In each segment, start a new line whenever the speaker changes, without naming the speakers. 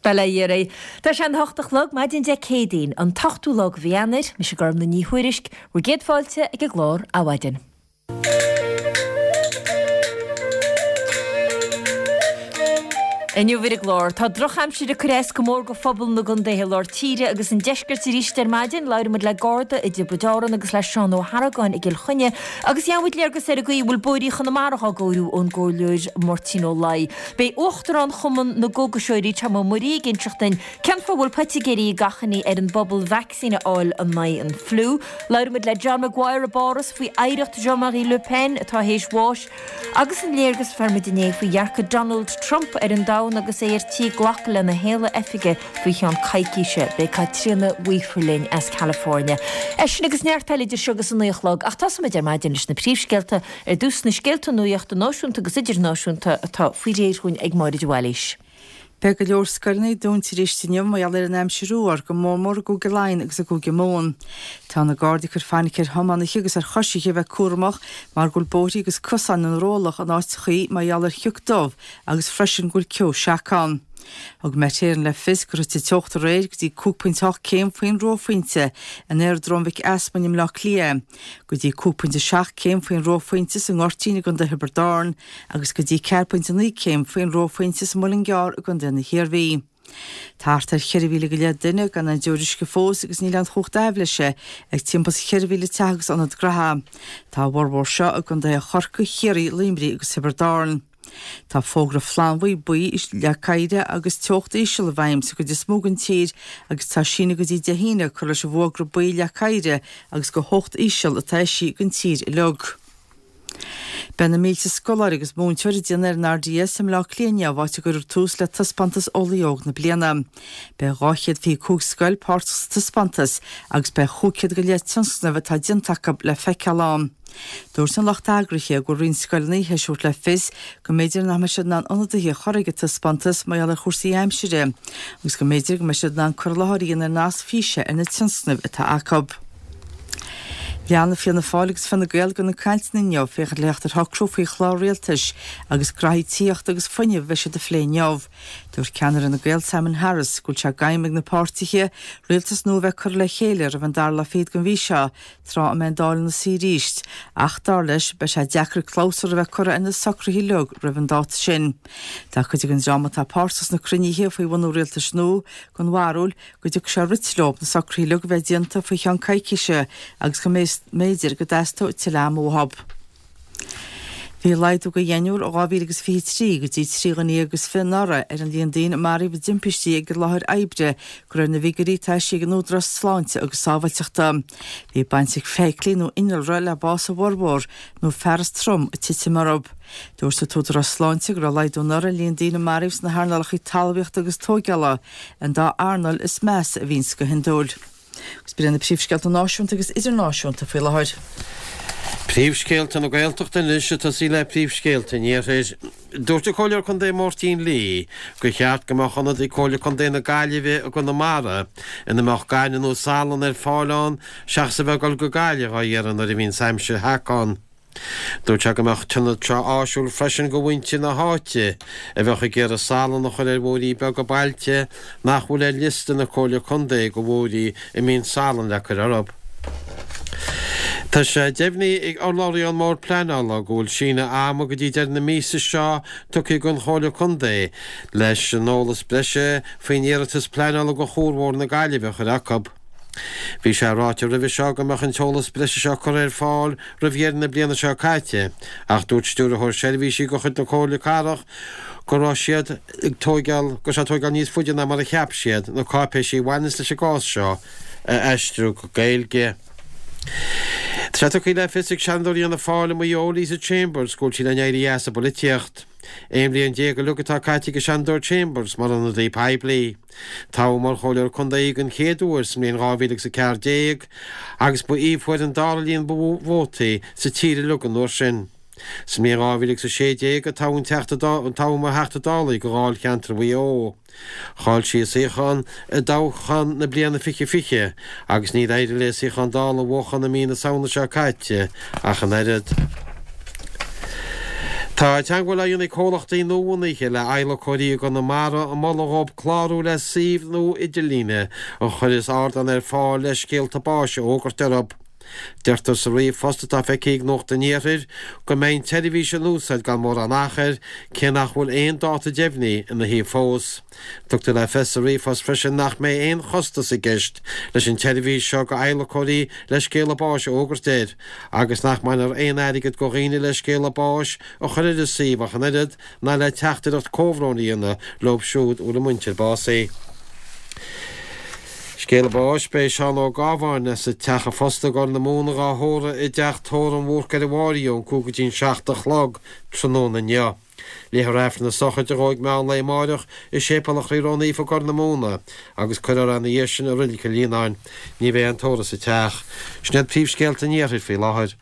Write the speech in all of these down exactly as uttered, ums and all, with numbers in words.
Bail ó Dhia oraibh. Tá sé an hocht a chlog, maidin Dé Céadaoin, an t-ochtú lá de mhí Eanáir, mise Gormlaith Ní Thuairisg, bhur gcéad fáilte ag an gclár Adhmhaidin. Inniu ar an gclár, tá drochaimsir ag cur as go mór go phobal na gcontaetha lár tíre agus an deiscirt arís ar maidin. Labhróidh muid le Garda i dTiobraid Árann agus le Seán Ó hArgáin i gCill Chainnigh agus gheobhaidh muid léargas ar an gcaoi a bhfuil bóithrí Chonamara á gcóiriú ón gComhairleoir Máirtín Ó Laoi. Beidh Uachtarán Chumann na gCógaiseoirí, Tom Ó Muirí, ag inseacht duinn cén fáth a bhfuil poitigéirí ag achainí ar an bpobal vacsaín a fháil in aghaidh an fliú. Labhróidh muid le John Maguire i bPáras faoi oidhreacht Jean-Marie Le Pen atá théis bháis agus an léargas a fuair muid inné faoi dhearcadh Donald Trump ar an domhan agus é ar tí glacadh lena shéala oifige faoi cheann coicíse. Beidh Caitríona Weafer linn as California. É sin agus neart eile idir seo agus a naoi a chlog, ach tosóimid ar maidin leis na príomhscéalta, ar dtús na scéalta nuachta náisiúnta agus idirnáisiúnta atá faoi réir dhúinn ag Máire de Bhailís.
Beidh go leor scoileanna dúnta arís inniu mar gheall ar an aimsir fhuar, go mór mór i gCúige Laighean agus i gCúige Mumhan. Tá na Gardaí ag cur fainic ar thiománaithe agus ar choisithe a bheith cúramach mar go bhfuil bóithrí agus cosáin ina rollach in áiteachaí mar gheall ar shioc dubh agus freisin go bhfuil ceo seaca ann. Thug Met Éireann le fios gur thit an teocht aréir go dtí cúig pointe ocht céim faoin reophointe in Aeradróm Mhic Easmainn i mBleá Cliath, go dtí cúig pointe seacht céim faoin reophointe sa nGoirtín i gContae Thiobraid Árann agus go dtí ceathair pointe naoi céim faoin reophointe sa Muileann gCearr i gContae na hIarmhí. Tá thart ar cheithre mhíle go leith duine gan aon deoir uisce fós agus níl aon chumhacht aibhléise ag timpeall is cheithre mhíle teach agus ionad graithe. Tá a bhformhór seo i gcontaetha Chorcaí, Chiarraí, Luimnigh agus Thiobraid Árann. Tá fógra flannbhuí, buí, leac oighir agus teocht íseal i bhfeidhm sa gcuid is mó den tír agus tá síneadh go dtí Dé hAoine curtha leis an bhfógra buí leac oighir agus go theocht íseal atá eisithe don tír uilig. Beidh na mílte scoláire agus múinteoir ag déanamh ar an RDS i mBleá Cliath inniu, áit a gcuirfear tús le taispeántas Eolaí Óg na bliana. Beidh dhá chéad fiche cúig scoil páirteach sa taispeántas agus beidh chúig chéad go leith tionscnamh atá déanta acu le feiceáil ann. Dúirt an lucht eagraithe go bhfuil roinnt scoileanna théis a thabhairt le fios go mb'fhéidir nach mbeidh siad in ann ionadaithe a chur ag an taispeántas mar gheall ar chúrsaí aimsire agus go mb'fhéidir go mbeidh siad in ann cur i láthair a dhéanamh ar nasc físe ar na tionscnaimh atá acu. Leanfaidh Fianna Fáil agus Fine Gael de na cainteanna inniu féachaint le theacht ar shocrú faoi chlár rialtais agus graithí tithíochta agus fuinnimh a bheidh siad a phlé inniu. Dúirt ceannaire Fhine Gael Simon Harris go bhfuil sé d'aidhm ag na páirtithe rialtas nua a bheith curtha le chéile roimh an dara lá fichead den mhí seo tráth a mbeidh an Dáil ina suí arís ach, dar leis, beidh sé deacair clabhsúr a bheith curtha ar na socruithe uilig roimh an dáta sin. Tá cuid den dream atá páirteach sna cruinnithe faoi bhunú rialtais nua den bharúil go dtiocfaidh sé rite leo na socruithe uilig a bheith déanta faoi cheann coicíse agus go mb'fhéidir go dteastódh tuilleadh ama uathu. Bhí laghdú de dheichniúr ó dhá mhíle agus fiche trí go dtí trí dhuine dhéag agus fiche anuraidh ar an líon daoine a maraíodh i dtimpistí ag an láthair oibre, de réir na bhfigiúirí atá eisithe ag an Údarás Sláinte agus Sábháilteachta. Bhí baint ag feithiclí nó innealra le bás a bhformhór nó fearas trom ag titim orthu. Dúirt an tÚdarás Sláinte go raibh laghdú anuraidh ar líon daoine a maraíodh sna hearnálacha talmhaíochta agus tóigeála, an dá earnáil is measa a bhíonns go hiondúil. Agus b'in iad na príomhscéalta náisiúnta agus idirnáisiúnta faoi láthair.
Príomhscéalta na Gaeltachta anois ag tosaí le príomhscéalta an Iarthair. Dúirt an Comhairleoir Contae Máirtín Lee gur cheart go mbeadh ionad ag Comhairle Contae na Gaillimhe i gConamara ina mbeadh gaineamh nó salann ar fáil ann seachas a bheith ag dul go Gaillimh dhá iarraidh nuair a bhíonns aimsir sheaca ann. Dúirt sé go mbeadh an t-ionad seo áisiúil freisin go mhuintir na háite a bheadh ag iarraidh salann a chur ar bhóithrí beaga bailte nach bhfuil ar liosta na Comhairle Contae go bhóithrí a mbíonn salann le cur orthu. Tá sé deimhnithe ag urlabhraí ón mBord Pleanála go bhfuil síneadh ama go dtí deireadh na míosa seo tugtha ag an Chomhairle Contae leis an eolas breise faoin iarratas pleanála go Chuarbhóthar na Gaillimhe a chur acu. Bhí sé ráite roimhe seo go mbeadh an t-eolas breise seo curtha ar fáil roimh dheireadh na bliana seo caite ach dúirt Stiúrthóir Seirbhísí de chuid na Comhairle Cathrach go raibh siad ag tóigeáil go raibh sé ag tóigeáil níos faide ná mar a cheap siad na cáipéisí a bhaineanns leis an gcás seo a aistriú go Gaeilge. Tá sé tugtha le fios ag Seanadóir Fhianna Fáil i Maigh Eo, Lisa Chambers, go bhfuil sí le n-éirí as an bpolaitíocht. Aon bhliain déag uilig atá caite ag an Seanadóir Chambers mar ionadaí poiblí. Toghadh mar Chomhairleoir Contae í den chéad uair sa mbliain dhá mhíle agus a ceathair déag agus ba í a fuair an dara líon ba mhó vótaí sa tír uilig an uair sin. Sa mbliain dhá mhíle agus a sé déag a toghadh an Teachta toghadh mar Theachta Dála í do Dháilcheantar Mhaigh Eo. Chaill sí a suíochán i dtoghchán na bliana fiche fiche agus níor éirigh léi suíochán Dála a bhuachan i mí na Samhna seo caite ach an oiread. Tá teagmháil á dhéanamh ag comhlachtaí nuabhunaithe le adhlacóirí i gConamara ag moladh dhóibh clárú le suíomh nua idirlíne a chuirfeas ardán ar fáil le scéalta báis a fhógairt orthu. Deirtear sa ríomhphost atá feicthe ag Nuacht an Iarthair go mbeidh an tseirbhís in úsáid gan mórán achair, cé nach bhfuil aon dáta deimhnithe ina thaobh fós. Tugtar le fios sa ríomhphost freisin nach mbeidh aon chostas i gceist leis an tseirbhís seo go adhlacóirí le scéala báis a fhógairt air, agus nach mbainfear aon airgead go dhaoine le scéala báis a chur ar an suíomh ach an oiread ná le teachtaireacht comhbhróin a dhéanamh leo siúd a bhfuil a muintir básaithe. Scéala báis, Beidh Seán Ó Gábháin as an Teach an Phosta i gCorr na Móna dhá thórramh i dteach tórraimh an Bhúrcaigh ar an Bháirí ón cúig go dtí an seacht a chlog tráthnóna inniu. Léifear Aifreann na sochraide dhó ag meán lae amáireach i Séipéal an Chroí Ró-Naofa i gCorr na Móna agus cuirfear é ina dhiaidh sin i Reilig Chill Líonáin. Ní bheidh aon tórramh sa teach. Sin iad príomhscéalta an Iarthair faoi láthair.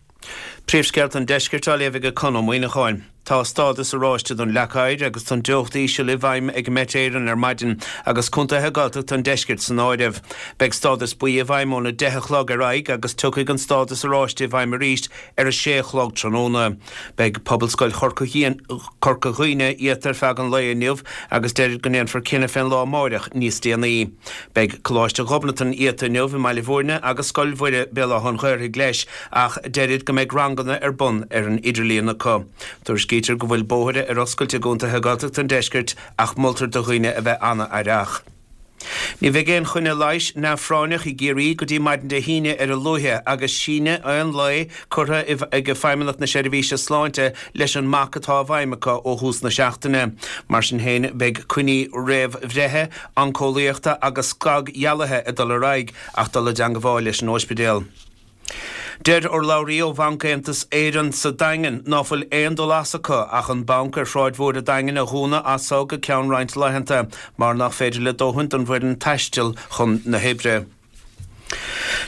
Príomhscéalta an Deiscirt á léamh ag Conn Ó Muíneacháin. Tá stádas oráiste don leac oighir agus don teocht íseal i bhfeidhm ag Met Éireann ar maidin agus contaetha Gaeltachta an deiscirt san áireamh. Beidh stádas buí i bhfeidhm óna deich a chlog ar aghaidh agus tiocfaidh an stádas oráiste i bhfeidhm arís ar a sé a chlog tráthnóna. Beidh Pobalscoil Chorca Dhuibhne iata ar feadh an lae inniu agus deirid go ndéanfar cinneadh fén lá amáireach níos déanaí. Beidh Coláiste Ghobnatan iata inniu i mBaile Bhúirne agus Scoil Mhuire Béal Átha an Ghaorthaidh leis ach deirid go mbeidh ranganna ar bun ar an idirlíon acu. Tuairiscítear go bhfuil bóithre ar oscailt i gcontaetha Gaeltachta an deiscirt ach moltar do dhaoine a bheith an-aireach. Ní bheidh aon choinne leighis neamhphráinneach i gCiarraí go dtí maidin Dé hAoine ar a luaithe agus síneadh aon lae curtha ag Feidhmeannacht na Seirbhíse Sláinte leis an mbac atá i bhfeidhm acu ó thús na seachtaine. Mar sin féin, beidh coinní réamhbhreithe, oinceolaíochta agus scagdhealaithe ag dul ar aghaidh ach dul i dteangabháil leis an óispidéal. Deir urlabhraí ó Bhanc Aontas Éireann sa Daingean ná fuil aon dul as acu ach an banc ar Shráid Mhór an Daingin a dhúnadh as so go ceann roinnt laethanta mar nach féidir le dóthain den bhfoireann taisteal chun na hoibre.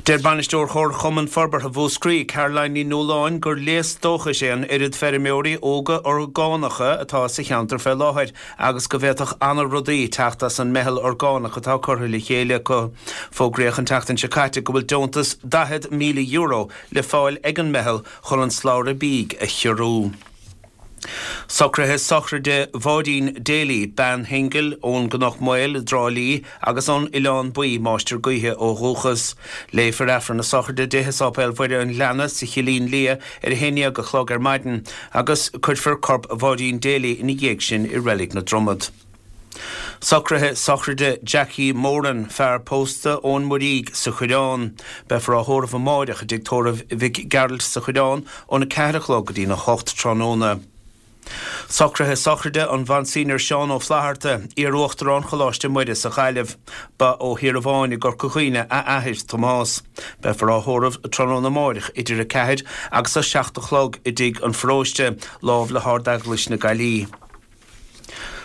Deir Bainisteoir Chomharchumann Forbartha Mhúscraí, Caroline Ní Nualláin, gur léas dóchais é an oiread feirmeoirí óga orgánacha atá sa cheantar fé láthair agus go bhféadfadh ana-rudaí teacht as an meitheal orgánach atá curtha le chéile acu. Fógraíodh an tseachtain seo caite go bhfuil deontas daichead míle euro le fáil ag an meitheal chun an slabhra bídh a chiorrú. Socruithe sochraide Mháirín Daly, bean shingil ón gCnoc Maol i dTrá Lí agus ón Oileán Buí, máistir gaoithe ó dhúchas. Léifear Aifreann na sochraide di i Sáipéal Mhuire an Ghleanna sa Chillín Liath ar a haon dhéag a chlog ar maidin agus cuirfear corp Mháirín Daly ina dhiaidh sin i Reilig na Dromad. Socruithe sochraide Jackie Moran, fear pósta ón Muirígh sa Choireán. Beifear á thórramh amáireach i dtigh tórraimh Mhic Gearailt sa Choireán óna ceathair a chlog go dtína hocht tráthnóna. Socruithe sochraide an Mhonseigneur Seán Ó Flatharta, iar-Uachtarán Choláiste Muire sa Ghaillimh. Ba ó Thír Amháin i gCorca Dhuibhne a athair, Tomás. Beifear á thórramh tráthnóna amáireach idir a ceathair agus a seacht a chlog i dtigh an pharóiste, lámh le hArd-Eaglais na Gaillimhe.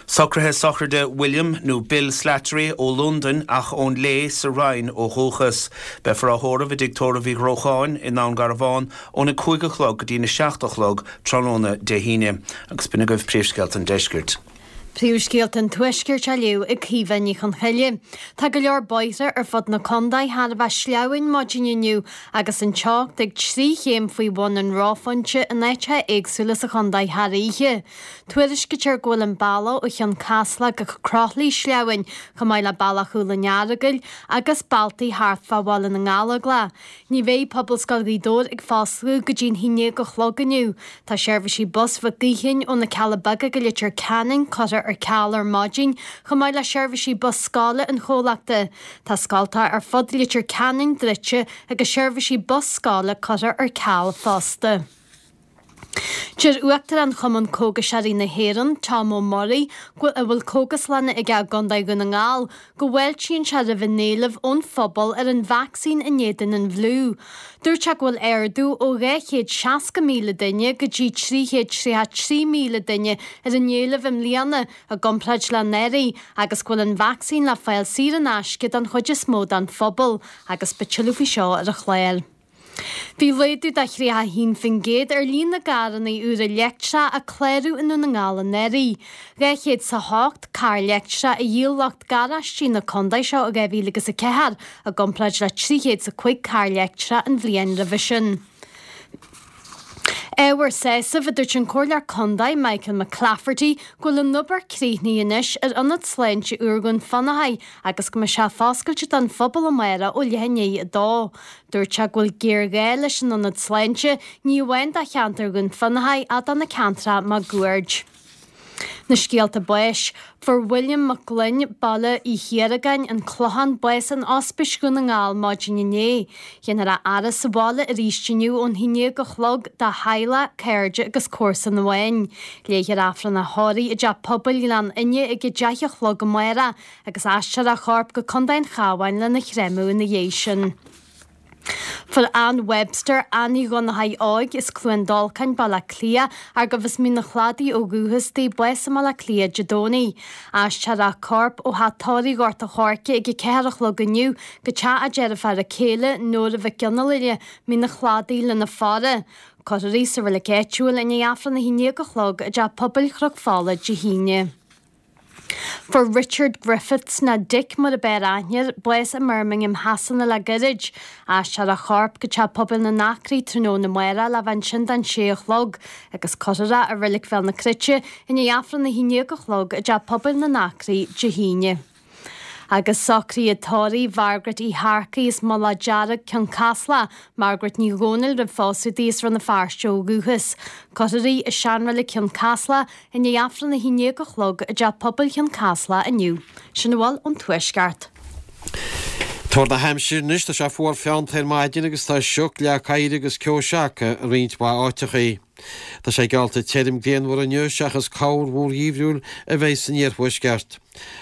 Socruithe sochraide William nó Bill Slattery ó Londain ach ón Léith sa Rinn ó dhúchas. Beifear á thórramh i dtigh tórraimh Uí Ghrócháin i nDún Garbhán óna cúig a chlog go dtína seacht a chlog tráthnóna Dé hAoine. Agus b'in agaibh príomhscéalta an deiscirt.
Príomhscéalta an Tuaiscirt á léamh ag Caoimhe Ní Chonchoille. Tá go leor bóithre ar fud na contae thar a bheith sleamhain maidin inniu agus an teocht ag trí chéim faoi bhun an reophointe in áiteacha éagsúla sa chontae thar oíche. Tuairiscítear go bhfuil an bealach ó Chionn Caslach go Croithlí sleamhain, chomh maith le bealach Chúil an Earagail agus bealtaí thart fá Bhaile na nGallóglach. Ní bheidh Pobalscoil Ghaoth Dobhair ag foscladh go dtí'n haon déag a chlog inniu. Tá seirbhísí bus Mhic Gaoithín ó na Cealla Beaga go Leitir Ceanainn curtha ar ceal ar maidin, chomh maith le seirbhísí bus scoile an chomhlachta. Tá scoltacha ar fud Leitir Ceanainn druidte agus seirbhísí bus scoile curtha ar ceal fosta. Deir Uachtarán Chumann Cógaiseoirí na hÉireann, Tom Ó Muirí, a bhfuil cógaslanna aige i gContae Dhún na nGall, go bhfáiltíonn sé roimh an éileamh ón phobal ar an vacsaín in éadan an bhfliú. Dúirt sé go bhfuil ardú ó dhá chéad seasca míle duine go dtí trí chéad tríocha trí míle duine ar an éileamh i mbliana i gcomparáid le anuraidh agus go bhfuil an vacsaín le fáil saor in aisce don chuid is mó den phobal agus beidh tuilleadh faoi seo ar an chlár. Bhí laghdú de thríocha a haon faoin gcéad ar líon na gcarranna úra leictreacha a cláraíodh i nDún na nGall anuraidh. Dhá chéad 's a hocht carr leictreach a dhíol lucht garáistí na contae seo i dhá mhíle agus a ceathair i gcomparáid le trí chéad 's a cúig carr leictreach an bhliain roimhe sin. Ábhar sásaimh a dúirt an Comhairleoir Contae Michael McClafferty go bhfuil an obair críochnaithe anois ar Ionad Sláinte úr Dhún Fionnachaidh agus go mbeidh sé foscailte don phobal amárach ó leath i ndiaidh a dó. Dúirt sé go bhfuil géarghá leis an ionad sláinte, ní amháin do cheantar Dhún Fionnachaidh ach do na ceantracha máguaird. Na scéalta báis, Fuair William Mac Gloinn, Baile Uí Chiaragáin, An Clochán, bás in Ospís Dhún na nGall maidin inné. Déanfar a fhaire sa bhaile arís inniu ón haon déag a chlog dá theaghlach, cairde agus comharsain amháin. Léifear Aifreann a thórraimh i dTeach Pobail Ghleann Fhinne ag a deich a chlog amárach agus aistreofar a chorp go Contae an Chabháin lena chréamadh ina dhiaidh sin. Fuair Ann Webster, Annie Dhonnchaidh Óig as Cluain Dolcáin, Baile Átha Cliath, arb as Mín an Chladaigh ó dhúchas di, bás i mBaile Átha Cliath Dé Domhnaigh. Aistreofar a corp ó theach tórraimh Ghort a' Choirce ag a ceathair a chlog inniu go teach a deirféara céile, Nóra Mhic Fhionnghaile, Mín an Chladaigh, lena faire. Cuirfear í sa reilig áitiúil i ndiaidh Aifreann a haon déag a chlog i dTeach Pobail Chnoc Fola Dé hAoine. Fuair Richard Griffiths, nó Dick mar ab fhearr aithne air, bás i mBirmingham Shasana le gairid. Aistreofar a chorp go Teach Pobail na nAcraí tráthnóna amárach le bheith ansin don sé a chlog agus cuirfear é i Reilig Bhéal na Cruite i ndiaidh Aifreann a haon déag a chlog i dTeach Pobail na nAcraí Dé hAoine. Agus socruithe tórraimh Mhargaret Uí Shearcaigh as Mullach Dearg, Cionn Caslach, Margaret Ní Dhomhnaill roimh phósadh di as Rann na Feirste ó dhúchas. Cuirfear í i Seanreilig Chionn Caslach i ndiaidh Aifreann a haon déag a chlog i dTeach Pobail Chionn Caslach inniu. Sin a bhfuil ón Tuaisceart.
Tuar na haimsire anois, tá sé fuar feannta ar maidin agus tá sioc, leac oighir agus ceo seaca i roinnt mhaith áiteachaí. Tá sé geallta tirim grianmhar inniu seachas corrmhúr gheimhriúil a bheidh san iarthuaisceart.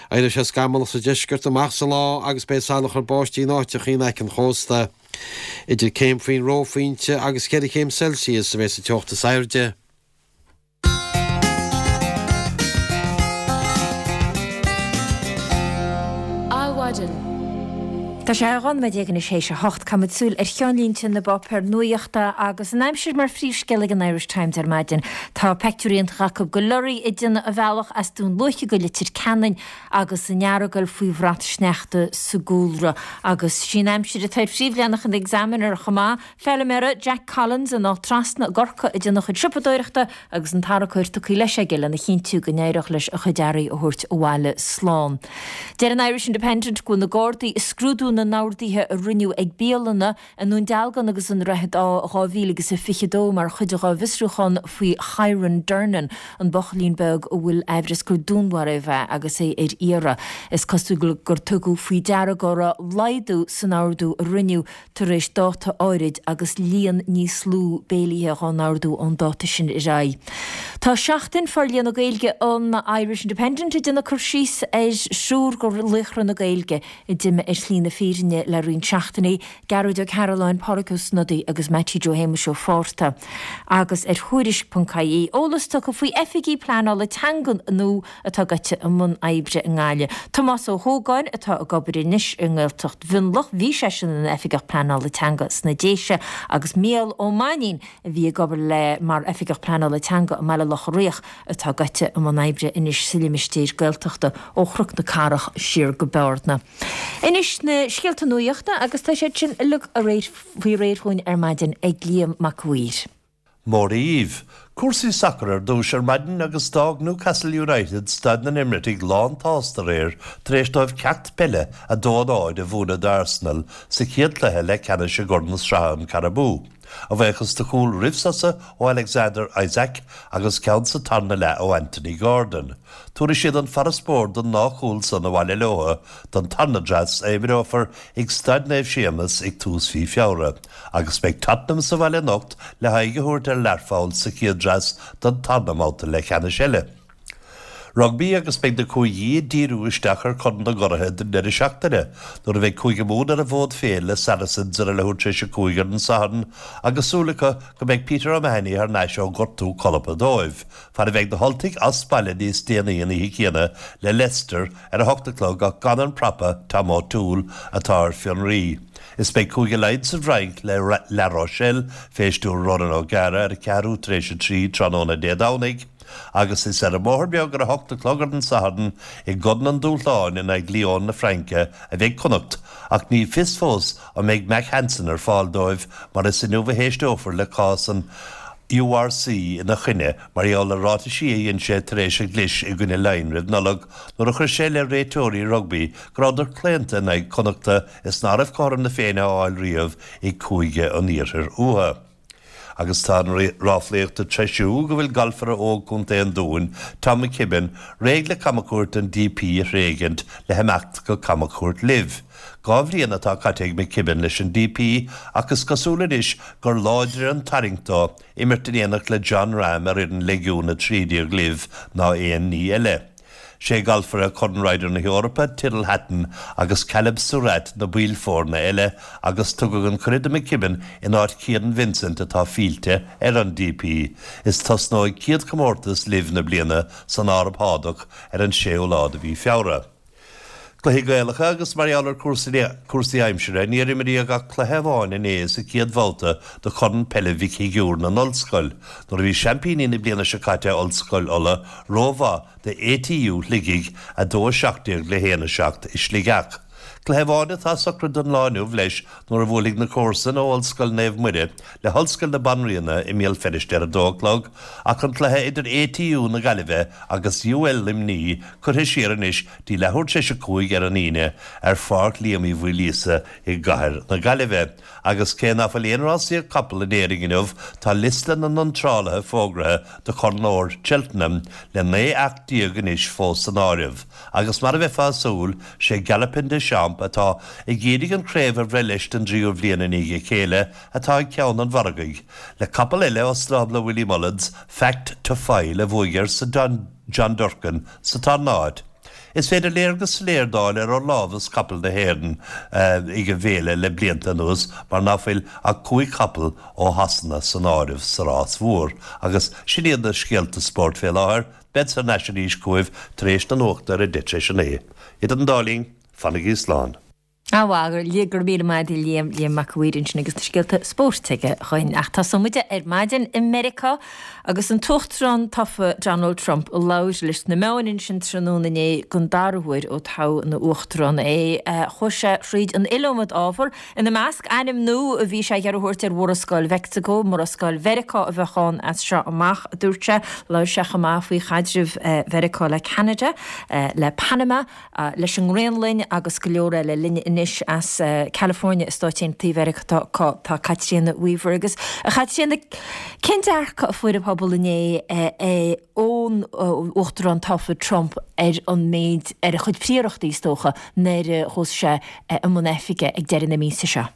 Éireoidh sé scamallach sa deisceart amach sa lá agus beidh salachar báistí in áiteachaí in aice an chósta. Idir céim faoin reophointe agus ceithre chéim Celsius a bheidh sa teocht is airde.
Adhmhaidin. Tá sé dhá nóiméad déag anois théis a hocht. Caithfimid súil ar cheannlínte na bpáipéar nuachta agus an aimsir mar phríomhscéal ag an Irish Times ar maidin. Tá peictiúr iontach acu de lorraí ag déanamh a bhealach as Dún Lúiche go Leitir Ceanainn agus an Earagail faoi bhrat sneachta sa gcúlra. Agus sí an aimsir atá ar phríomhleathanach an Examiner chomh maith. Feilméara Jack Collins in Áth Trasna i gCorcaigh ag déanamh a chuid siopadóireachta agus an tarracóir tugtha leis aige lena chinntiú go n-éireodh leis a chuid earraí a thabhairt abhaile slán. Deir an Irish Independent go bhfuil na Gardaí ag scrúdú na n-orduithe a rinneadh ag bialanna i nDún Dealgan agus i nDroichead Átha dhá mhíle agus a fiche dó mar chuid de dhá bhfiosrúchán faoi Kyran Durnin, an buachaillín beag a bhfuil aimhreas gur dúnmharaíodh é agus é ar iarraidh. Is cosúil gur tugadh faoi deara go raibh laghdú san ordú a rinneadh tar éis dáta áirid agus líon níos lú béilithe dhá n-ordú ón dáta sin ar aghaidh. Tá Seachtain Forlíonadh na Gaeilge an Irish Independent ag déanamh cur síos ar thriúr de laochra na Gaeilge a d'imigh ar shlí na fírinne le roinnt seachtainí, Gearóid Ó Cairealláin, Pádraig Ó Snodaigh agus Mattie Joe Shéamuis Ó Fátharta. Agus ar Thuairisc.ie, eolas tugtha faoi oifigigh pleanála teanga nua atá gaite i mbun oibre i nGaillimh. Tomás Ó hÓgáin atá ag obair anois i nGaeltacht Mhionlach, bhí seisean ina oifigeach pleanála teanga sna Déise, agus Mícheál Ó Mainnín a bhí ag obair le mar oifigeach pleanála teanga i mBaile Locha Riach atá gaite i mbun oibre anois sa limistéar Gaeltachta ó Chnoc na Cathrach siar go Bearna. Anois na scéalta nuachta agus tá siad sin uilig aréir faoi réir dhúinn ar maidin ag Liam Mac a' Mhaoir.
Móra dhíbh. Cúrsaí sacair ar dtús ar maidin agus d'fhág Newcastle United Staid na nEimirítigh lán tsásta aréir tar éis dóibh ceacht peile a dó a náid a mhúineadh d'Arsenal sa chéad chluiche leathcheannais i gCorn na Sraithe an Carabao. A bhuíochas do chúl roimh sosa ó Alexander Isak agus ceann sa tarna leath ó Anthony Gordon. Tabharfaidh siad an farasbarr den ndá chúl san abhaile leo don tarna dreas a imreofar ag Staid Naomh Séamus ag tús mhí Feabhra, agus beidh Tottenham sa bhaile anocht le haghaidh a thabhairt ar Learpholl sa chéad dreas don tarna mbabhta leathcheannais eile. Rugbaí agus beidh na cúigí ag díriú isteach ar Chorn na gCuraithe don deireadh seachtaine nuair a bheidh Cúige Mumhan ar an bhfód féin le Saracens ar a leathuair tar éis a cúig ar an Satharn agus súil acu go mbeidh Peter O'Mahony thar n-ais ó ghortú colbtha dóibh, fad a bheidh na hUltaigh as baile níos déanaí an oíche chéanna le Leicester ar a hocht a chlog ach gan an prapa Tom O'Toole atá ar fionraí. Is beidh Cúige Laighean sa bhFrainc le La Rochelle fé stiúir Ronan O'Gara ar a ceathrú tar éis a trí tráthnóna Dé Domhnaigh. Agus is ar an mBóthar Beag ar a hocht a chlog ar an Satharn i gCorn an Dúshláin in aghaidh Lyon na Fraince a bheidh Connacht ach ní fios fós an mbeidh Mack Hansen ar fáil dóibh mar is inniu a héisteofar le cás an URC ina choinne mar gheall ar ráitisí a dhein sé tar éis a gclis i gcoinne Laighean roimh Nollaig nuair a chuir sé le réiteoirí rugbaí go rabhadar claonta in aghaidh Connachta is ná raibh cothrom na Féinne á fháil riamh ag Cúige an Iarthair uathu. Agus tá an ráflaíocht ag treisiú go bhfuil galfaire óg Contae an Dúin, Tom McKibbin, réidh le Camchuairt an DP a thréigint le himeacht go Camchuairt LIV. Dhá bhliain atá caite ag McKibbin leis an DP ach is cosúil anois gur láidre an tarraingt dó imirt in éineacht le Jon Rahm ar fhoireann Léigiún a Trí Déag LIV ná aon ní eile. Sé galfaire Chorn Ryder na hEorpa, Tyrrell Hatton agus Caleb Surratt na baill foirne eile agus tugadh an cuireadh do McKibbin in áit Kieran Vincent atá fillte ar an DP. Is tosnóidh céad chomórtas LIV na bliana san Araib Shádach ar an séú lá de mhí Feabhra. Cluichí Gaelacha agus mar gheall ar chúrsaí aimsire, níor imríodh ach cluiche amháin inné sa chéad bhabhta de Chorn Peile Mhic Shigiúir na nOllscoil, nuair a bhí seaimpíní na bliana seo caite Ollscoil Uladh rómhaith do ATU Shligigh, a dó a seacht déag le haon a seacht i Sligeach. Cluiche amháin atá socraithe don lá inniu leis nuair a bhuailfidh na comharsain ó Ollscoil Naomh Muire le hOllscoil na Banríona i mBéal Feirste ar a dó a chlog ach an cluiche idir ATU na Gaillimhe agus UL Luimní curtha siar anois dtí leathuair tar éis a cúig ar an Aoine ar Pháirc Liam Uí Mhaoilíosa i gcathair na Gaillimhe. Agus cé nach bhfuil aon rásaíocht capall in Éirinn inniu, tá liosta na n-iontrálaithe fógraithe do Chorn Óir Cheltenham le naoi each déag anois fós san áireamh. Agus mar a bheifeá ag súil, sé Galopin Des Champs atá ag iarraidh an chraobh a bhreith leis den dtríú bhliain i ndiaidh a chéile atá ag ceann an mhargaidh, le capall eile ó stábla Willie Mullins, Fact To File a bhuaigh air sa John Durkan sa tarna háit. Is féidir léargas soiléir d'fháil ar fhorlámhas capaill na hÉireann ag an bhféile le blianta anuas mar ná fuil ach cúig chapall ó Shasana san áireamh sa rás mhór. Agus sin iad na scéalta spóirt fé láthair. Bead thar n-ais arís chugaibh tar éis na nuachta ar a deich tar éis a naoi. Idir an dá linn, fanaigí slán.
Á bhuel, go raibh míle maith agat Liam, Liam Mac a' Mhaoir ansin agus na scéalta spóirt aige chugainn. Ach tosóidh muid ar maidin i Meiriceá agus an tUachtarán tofa Donald Trump ag labhairt leis na meáin ansin tráthnóna inné den dara huair ó toghadh ina Uachtarán é. Chuaigh sé thríd an iliomad ábhar, ina measc ainm nua a bhí sé ag iarraidh a thabhairt ar Mhurascaill Mheicsiceo, Murascaill Mheiriceá a bheadh ann as seo amach, a dúirt sé. Labhair sé chomh maith faoi chaidreamh Mheiriceá le Ceanada, le Panama, leis an nGraonlainn agus go leor eile. Linn anois as California i Stáit Aontaithe Mheiriceá tá Caitríona Weaver. Agus a Chaitríona, cén dearcadh a fuair an pobal inné ón Uachtarán tofa Trump ar an méid, ar a chuid príorachtaí is dócha, nuair a chuas sé i mbun oifige ag deireadh na míosa seo?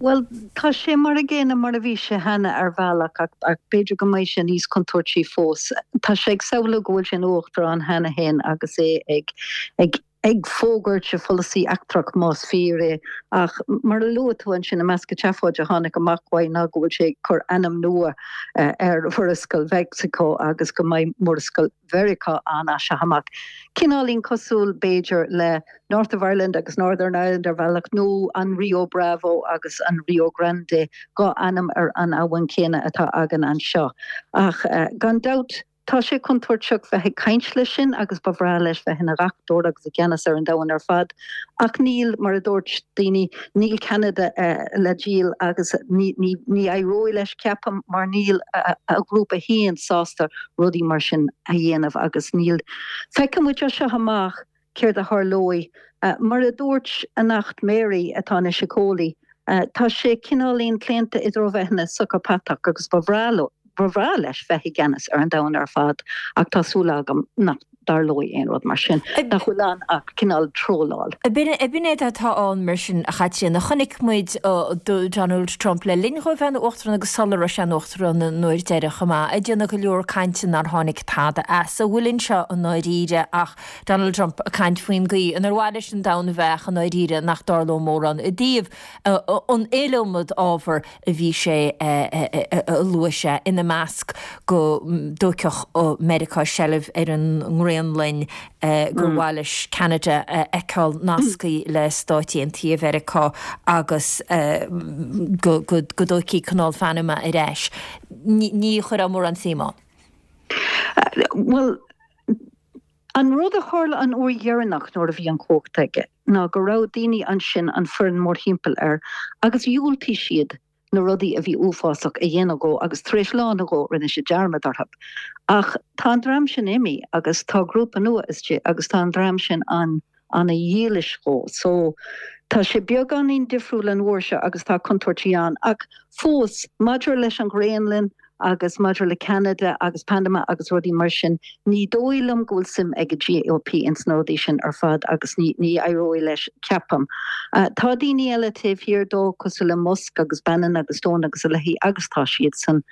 Bhuel, tá sé mar a gcéanna mar a bhí sé cheana ar bhealach ach b'fhéidir go mbeidh sé níos contúirtí fós. Tá sé ag samhlú go bhfuil sé ina uachtarán cheana féin agus é ag ag ag fógairt a pholasaí eachtrach más fíor é. Ach mar a luaigh tú ansin, i measc na tseafóide a tháinig amach uaidh ná go bhfuil sé ag cur ainm nua ar Mhurascaill Mheicsiceo agus go mbeidh Murascaill Mheiriceá ann as seo amach. Cineáilín cosúil, b'fhéidir, le North of Ireland agus Northern Ireland ar bhealach, nó an Rio Bravo agus an Rio Grande, dhá ainm ar an abhainn chéanna atá againn anseo. Ach gan dabht, tá sé contúirteach bheith ag caint leis sin agus ba bhreá leis bheith ina dheachtóir agus i gceannas ar an domhan ar fad. Ach níl, mar a dúirt daoine, níl Ceanada le díol agus ní éireoidh leis, ceapaim, mar níl a ghrúpa féin sásta rudaí mar sin a dhéanamh agus níl. Feicfidh muid as seo amach céard a tharlóidh. Mar a dúirt anocht Mary, atá ina síceolaí, tá sé cineáilín claonta i dtreo bheith ina sochapatach agus ba bhreá leo, Ba bhreá leis bheith i gceannas ar an domhan ar fad ach tá súil agam nach dtarlóidh aon rud mar sin, nach bhfuil ann ach cineál trolláil.
Ab in é atá ann mar sin, a Chaitríona? Chonaic muid Donald Trump le linn dhó bheith ina Uachtarán agus sula raibh sé ina Uachtarán an uair deiridh chomh maith, ag déanamh go leor cainte nár tháinig tada as. An bhfuil anseo i ndáiríre ach Donald Trump ag caint faoin gcaoi inar mhaith leis an domhan a bheith ach i ndáiríre nach dtarlódh mórán i dtaobh an iliomad ábhar a bhí sé a luaigh sé, ina measc go dtógfadh Meiriceá seilbh ar an nGraonlainn, gur mhaith leis Ceanada a fheiceáil nasctha le Stáit Aontaithe Mheiriceá agus go dtógfaí Canáil Phanama ar ais. Ní chuirfeá mórán suim ann.
Bhuel, an rud a tharla an uair dheireanach nuair a bhí an chumhacht aige ná go raibh daoine ansin, an foireann mórthimpeall air, agus dhiúltaigh siad na rudaí a bhí uafásach a dhéanamh dhó agus tar éis lá nó dhó rinne sé dearmad orthu. Ach tá an dream sin imithe agus tá grúpa nua istigh agus tá an dream sin an ana-dhílis dhó. So tá sé beagáinín difriúil an uair seo agus tá contúirtí ann. Ach fós, maidir leis an Ghraonlainn agus maidir le Ceanada agus Panama agus rudaí mar sin, ní dóigh liom go bhfuil suim ag an GOP ins na rudaí sin ar fad agus ní ní éireoidh leis, ceapaim. Tá daoine eile taobh thiar dó cosúil le Musk agus Bannon agus Stone agus a leithéid agus tá siadsan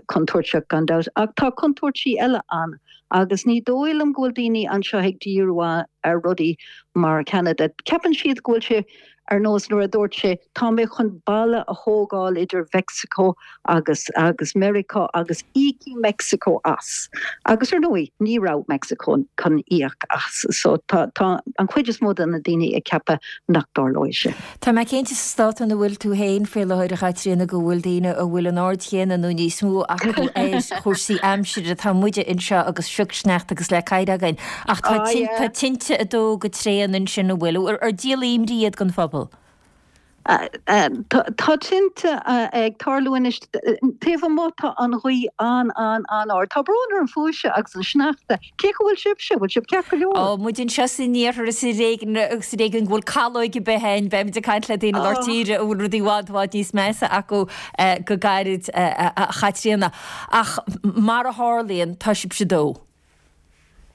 contúirteach gan dabht. Ach tá contúirtí eile ann agus ní dóigh liom go bhfuil daoine anseo ag díriú ar rudaí mar Ceanada. Ceapann siad go bhfuil sé ar nós nuair a dúirt sé, tá mé chun balla a thógáil idir Mheicsiceo agus agus Meiriceá agus íocfaidh Meicsiceo as. Agus ar ndóigh, ní raibh Meicsiceo chun íoc as. So tá tá an chuid is mó de na daoine ag ceapadh nach dtarlóidh sé.
Tá mé cinnte sa stát ina bhfuil tú féin faoi láthair, a Chaitríona, go bhfuil daoine a bhfuil an aird chéanna nó níos mó acu ar chúrsaí aimsire. Tá muide anseo agus sioc sneachta agus leac oighir againn. Ach tá tá tinte ag dó go tréan ansin an bhfuil. Ar díol imní iad don phobal?
Tá tinte ag tarlú anois. Taobh amuigh tá an ghaoth an-an-an-ard. Tá brón orm fúibhse agus an sneachta. Cén chaoi a bhfuil sibhse? Bhfuil sibh ceart go leor?
Ó, muid anseo san iarthar is ar éigean agus ar éigean go bhfuil calóig ar bith againn. Beimid ag caint le daoine lár tíre a bhfuil rudaí i bhfad i bhfad níos measa acu go gairid, a Chaitríona. Ach mar a tharlaíonn, tá sibhse ag dó.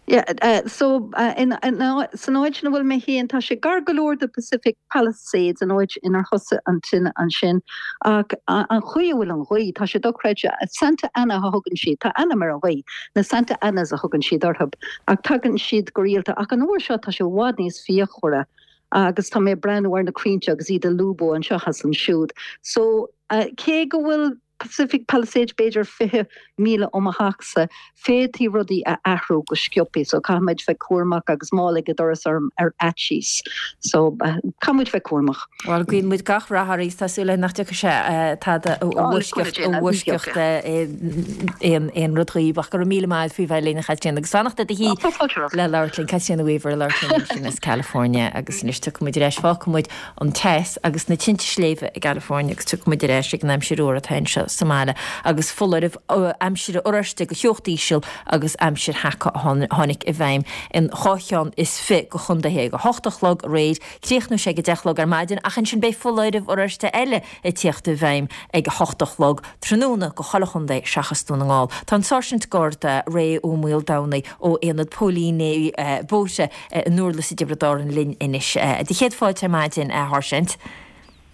Yeah, so in san áit ina bhfuil mé féin, tá sé gar go leor do Pacific Palisades, an áit inar thosaigh an tine ansin. Ach an chaoi a bhfuil an ghaoth, tá sé dochreidte. Santa Ana a thugann siad, tá ainm ar an ghaoth, na Santa Anas a thugann siad orthu, ach tagann siad go rialta. Ach an uair seo tá sé i bhfad níos fíochmhaire agus tá mé ag breathnú ar na crainnte agus iad ag lúbadh anseo is ansiúd. So cé go bhfuil Pacific Palisades b'fhéidir fiche míle ó mo theachsa, féadfaidh rudaí a athrú go sciobtha so caithfimid bheith cúramach agus mála ag an doras orm ar fhaitíos. So caithfimid bheith cúramach.
Bhuel, guíonn muid gach rath oraibh, tá súil againn nach dtiocfaidh sé tada i bhfoisceacht aon rud dhaoibh ach go raibh míle maith agat faoi bheith linn a Chaitríona agus fanacht i do shuí le labhairt linn. Caitríona Weaver ag labhairt linn ansin as California agus anois tiocfaidh muid ar ais, fágfaidh muid an teas agus na tinte sléibhe i gCalifornia agus tiocfaidh muid ar ais ag an aimsir fhuar atá anseo sa mbaile agus foláireamh aimsire oráiste do theocht íseal agus aimsir sheaca a tháinig i bhfeidhm in dhá cheann is fiche de chontaetha ag a hocht a chlog aréir. Críochnóidh sé ag a deich a chlog ar maidin ach ansin beidh foláireamh oráiste eile ag tíocht i bhfeidhm ag a hocht a chlog tráthnóna do chuile chontae seachas Dún na nGall. Tá an Sáirsint Garda Ray Ó Maoldomhnaigh ó Aonad Póilíní Bóithre i nDurlas i dTiobraid Árann linn anois. Do chéad fáilte ar maidin, a Sháirsint.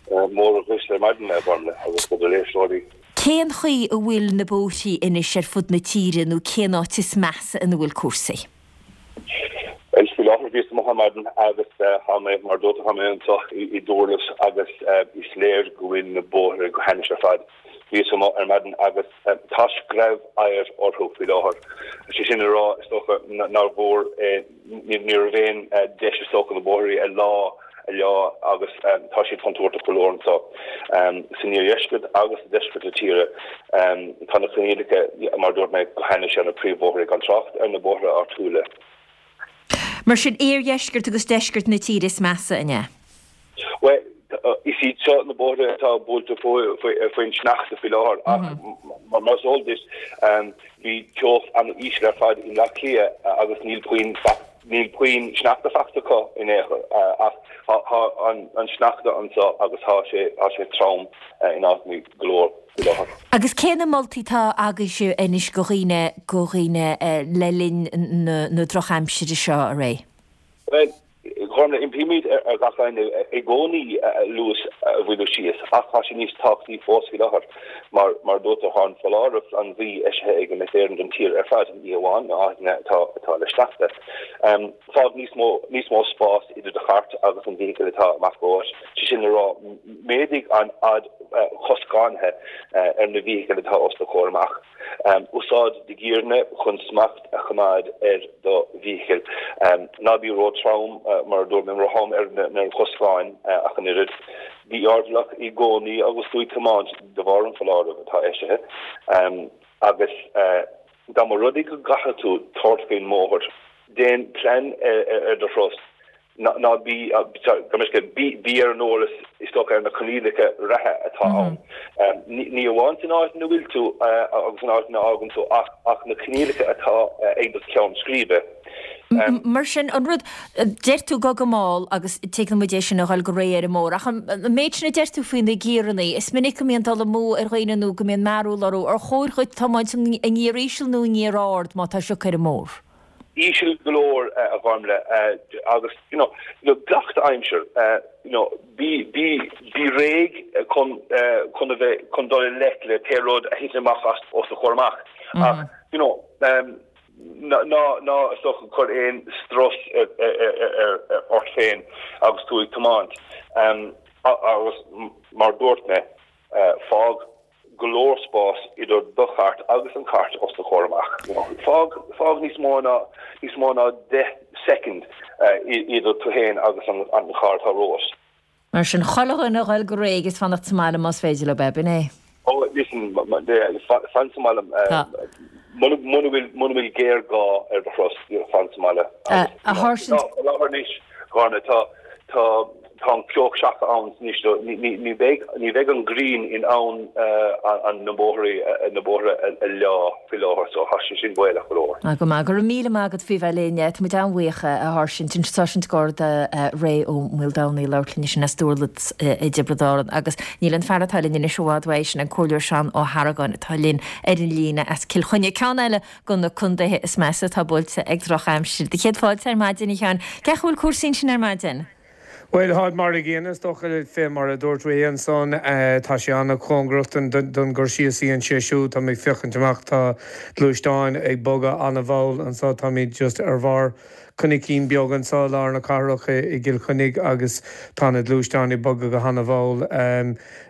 Móra dhuit ar maidin, a Ghormfhlaith, agus do do léitheoirí.
Cén chaoi a bhfuil na bóithrí anois ar fud na tíre nó cén áit is measa ina bhfuil cúrsaí?
Bhuel, faoi láthair bhíos amuigh ar maidin agus tá mé, mar a dúirt tú, tá mé anseo i nDurlas agus is léir go bhfuil na bóithre go hainnis ar fad. Bhíos amuigh ar maidin agus tá screamh oighir orthu faoi láthair. Sé sin le rá, is dócha, nár mhór, ní raibh aon deis is dócha na bóithrí a leá, a leá agus tá siad contúirteach go leor anseo. San iardheisceart agus i deisceart na tíre tá na coinníollacha, mar a dúirt mé, go hainnis ar na príomhbhóithre, gan trácht ar na bóithre áitiúla.
Mar sin, iardheisceart agus deisceart na tíre is measa, an ea?
Bhuel, is iad seo na bóithre atá buailte faoin sneachta faoi láthair ach mar is eol duit, bhí teocht an-íseal ar fad i mBleá Cliath agus níl puinn níl puinn sneachta faighte acu in aon chor ach tá an sneachta anseo agus tá sé tá sé trom in áiteanna go leor faoi láthair.
Agus cé na moltaí atá agaibhse anois go dhaoine go dhaoine le linn na drochaimsire seo, a Ray?
Bhuel, Gormfhlaith, impímid ar gach éinne i gcónaí luas a mhoilliú síos, ach tá sé níos tábhachtaí fós faoi láthair. Mar mar a dúirt tú, tá an foláireamh flannbhuí eisithe ag an Met Éireann don tír ar fad, ní amháin na háiteanna atá atá le sneachta. Fág níos mó níos mó spás idir do chairt agus an bhfeithicil atá amach romhat, sé sin le rá, méadaigh an fhad choscánaithe ar na bhfeithicil atá os do chomhair amach. Úsáid do ghiaranna chun smacht a choimeád ar do bhfeithicil. Ná bí ró-trom, mar a dúirt mé, ró-throm ar na coscáin ach an oiread. Bí airdeallach i gcónaí agus tú ag tiomáint de bharr an foláirimh atá eisithe agus dá mba rud é go gcaithfidh tú tabhairt faoin mbóthar, déan plean ar do thuras. Ná bí, gabh mo leithscéal, bí ar an eolas is dócha ar na coinníollacha reatha atá ann. Ní amháin san áit ina bhfuil tú agus san áit ina fhágann tú ach ach na coinníollacha atá ag do cheann scríbe.
Mar sin, an rud, deir tú gabh go mall agus tuigeann muid é sin a dhul go réidh ar an mbóthar, ach an méid sin a deir tú faoi na giaranna, is minic go mbíonn dul amú ar dhaoine nó go mbíonn mearbhall orthu, ar chóir dhuit tiomáint i ngiar íseal nó i ngiar ard má tá sioc ar an mbóthar?
íseal go leor a Ghormfhlaith agus you know glac d'aimsir you know bí bí bí réidh chun chun a bheith chun dul i ngleic le pé rud a thiteann amach as os do chomhair amach ach you know ná ná ná is dócha cuir aon strus ort féin agus tú ag tiomáint agus mar dúirt mé fág go leor spás idir do chairt agus an chairt os do chomhair amach. Fág fág níos mó ná níos mó ná deich soicind idir tú féin agus an an charr atá romhat.
Mar sin, chuile dhuine a dhul go réidh is fanacht sa mbaile más féidir leo, b'in é?
Oh, listen, fan sa mbaile. Muna bhfuil muna bhfuil géarghá ar do thuras, fan sa mbaile.
A Sháirsint.
Faoi láthair anois, Ghormfhlaith, tá tá Tá an cloch seaca ann anois so ní bheidh ní bheidh an ghrian in ann an na bóithre na bóithre a leá faoi láthair so tá sé sin baolach go leor.
Go maith. Go raibh míle maith agat faoi bheith linn. Tá muid an-bhuíoch, a Sháirsint. An Sáirsint Garda Ray Ó Maoldomhnaigh ag labhairt linn ansin as Dúrlas i dTiobraid Árann agus níl an fear atá linn anois i bhfad uaidh, sin an Comhairleoir Seán Ó hArgáin atá linn ar an líne as Cill Chainnigh. Ceann eile de na contaetha is measa atá buailte ag drochaimsir. Do chéad fáilte ar maidin, a Sheáin. Cén chaoi a bhfuil cúrsaí ansin ar maidin?
Bhuel, táid mar a gcéanna, is dócha, fé mar a dúirt Ray ansan. Tá sé an-chóngarach don gcur síos a dhein sé siúd. Táim ag féachaint amach, tá gluaisteáin ag bogadh an-mhall anso. Táimid just ar bharr cnoicín beag anso i lár na cathrach i gCill Chainnigh agus tá na gluaisteáin ag bogadh go han-mhall.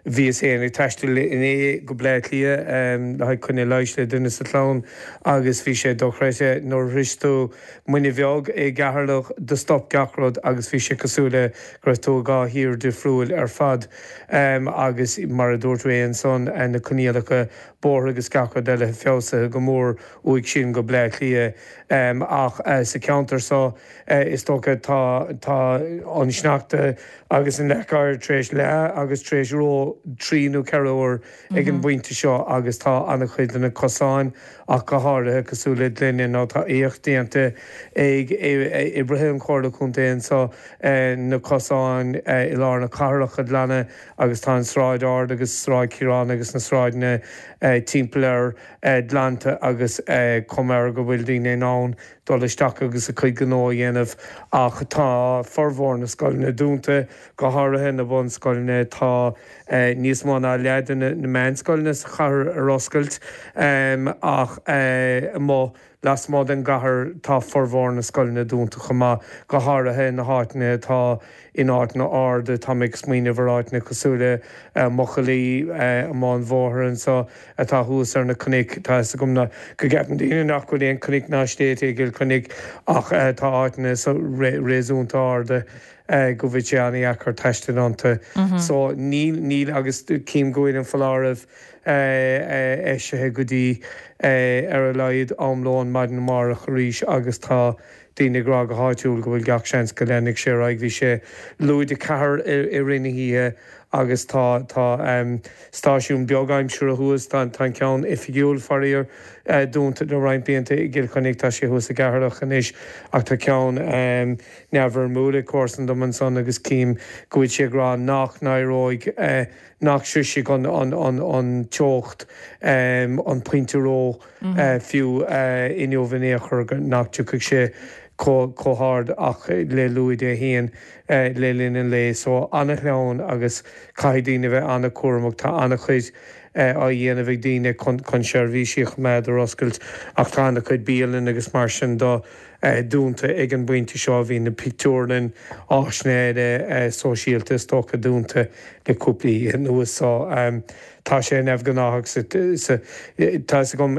Bhíos féin ag taisteal inné go Bleá Cliath le haghaidh coinne leighis le duine sa chlann agus bhí sé dochreidte nuair a shrois tú Muine Bheag i gCeatharlach, do stop gach rud agus bhí sé cosúil le go raibh tú i dhá thír difriúil ar fad. Agus mar a dúirt Ray ansan, na coinníollacha bóthair agus gach rud eile feabhsaithe go mór uaidh sin go Bleá Cliath. Ach sa cheantar so, is dócha, tá tá an sneachta agus an leac oighir tar éis leá agus tar éis reo trí nó ceithre huair ag an bpointe seo agus tá an-chuid de na cosáin ach go háirithe cosúil le gloine nó tá éacht déanta ag oibrithe an Chomhairle Contae anseo na cosáin i lár na cathrach a ghlanadh agus tá an Sráid Ard agus Sráid Chiaráin agus na sráideanna timpeall air glanta agus cuma air go bhfuil daoine in ann dul isteach agus a gcuid gnó a dhéanamh ach tá formhór na scoileanna dúnta, go háirithe na bunscoileanna. Tá níos mó ná leath de na meánscoileanna sa chathair ar oscailt ach amuigh lasmuigh den gcathair tá formhór na scoileanna dúnta chomh maith, go háirithe na háiteanna atá in áiteanna arda. Tá mé ag smaoineamh ar áiteanna cosúil le Muchaillí, amuigh an bhóthar anseo atá thuas ar na cnoic. Tá fhios agam go gceapann daoine nach bhfuil aon chnoic ná sléibhte i gCill Chainnigh ach tá áiteanna réasúnta arda go bhfuil sé an-dheacair taisteal iontu. So níl, níl agus cím go bhfuil an foláireamh eisithe go dtí ar a laghad am lóin maidin amárach arís agus tá daoine ag rá go háitiúil go bhfuil gach seans go leanfaidh sé ar aghaidh. Bhí sé lúide ceathair i rith na hoíche agus tá tá stáisiún beag aimsire thuas, tá an ceann oifigiúil, faraor, dúnta le roinnt blianta i gCill Chainnigh, tá sé thuas i gCeatharlach anois ach tá ceann neamhfhoirmiúil ag comharsan dom ansan agus cím go bhfuil sé ag rá nach n-éireoidh nach sroisfidh an teocht an pointe reo fiú inniu in aon chor, nach dtiocfaidh sé chomh hard ach le lúide a haon le linn an lae. So ana-shleamhain agus caithfidh daoine a bheith ana-chúramach. Tá ana-chuid á dhéanamh ag daoine chun seirbhísí a choimeád ar oscailt ach tá ana-chuid bialann agus mar sin de dúnta ag an bpointe seo. Bhí na pictiúrlann, áiseanna eile sóisialta is dócha dúnta le cúpla oíche anuas so tá sé neamhghnách agus tá fhios agam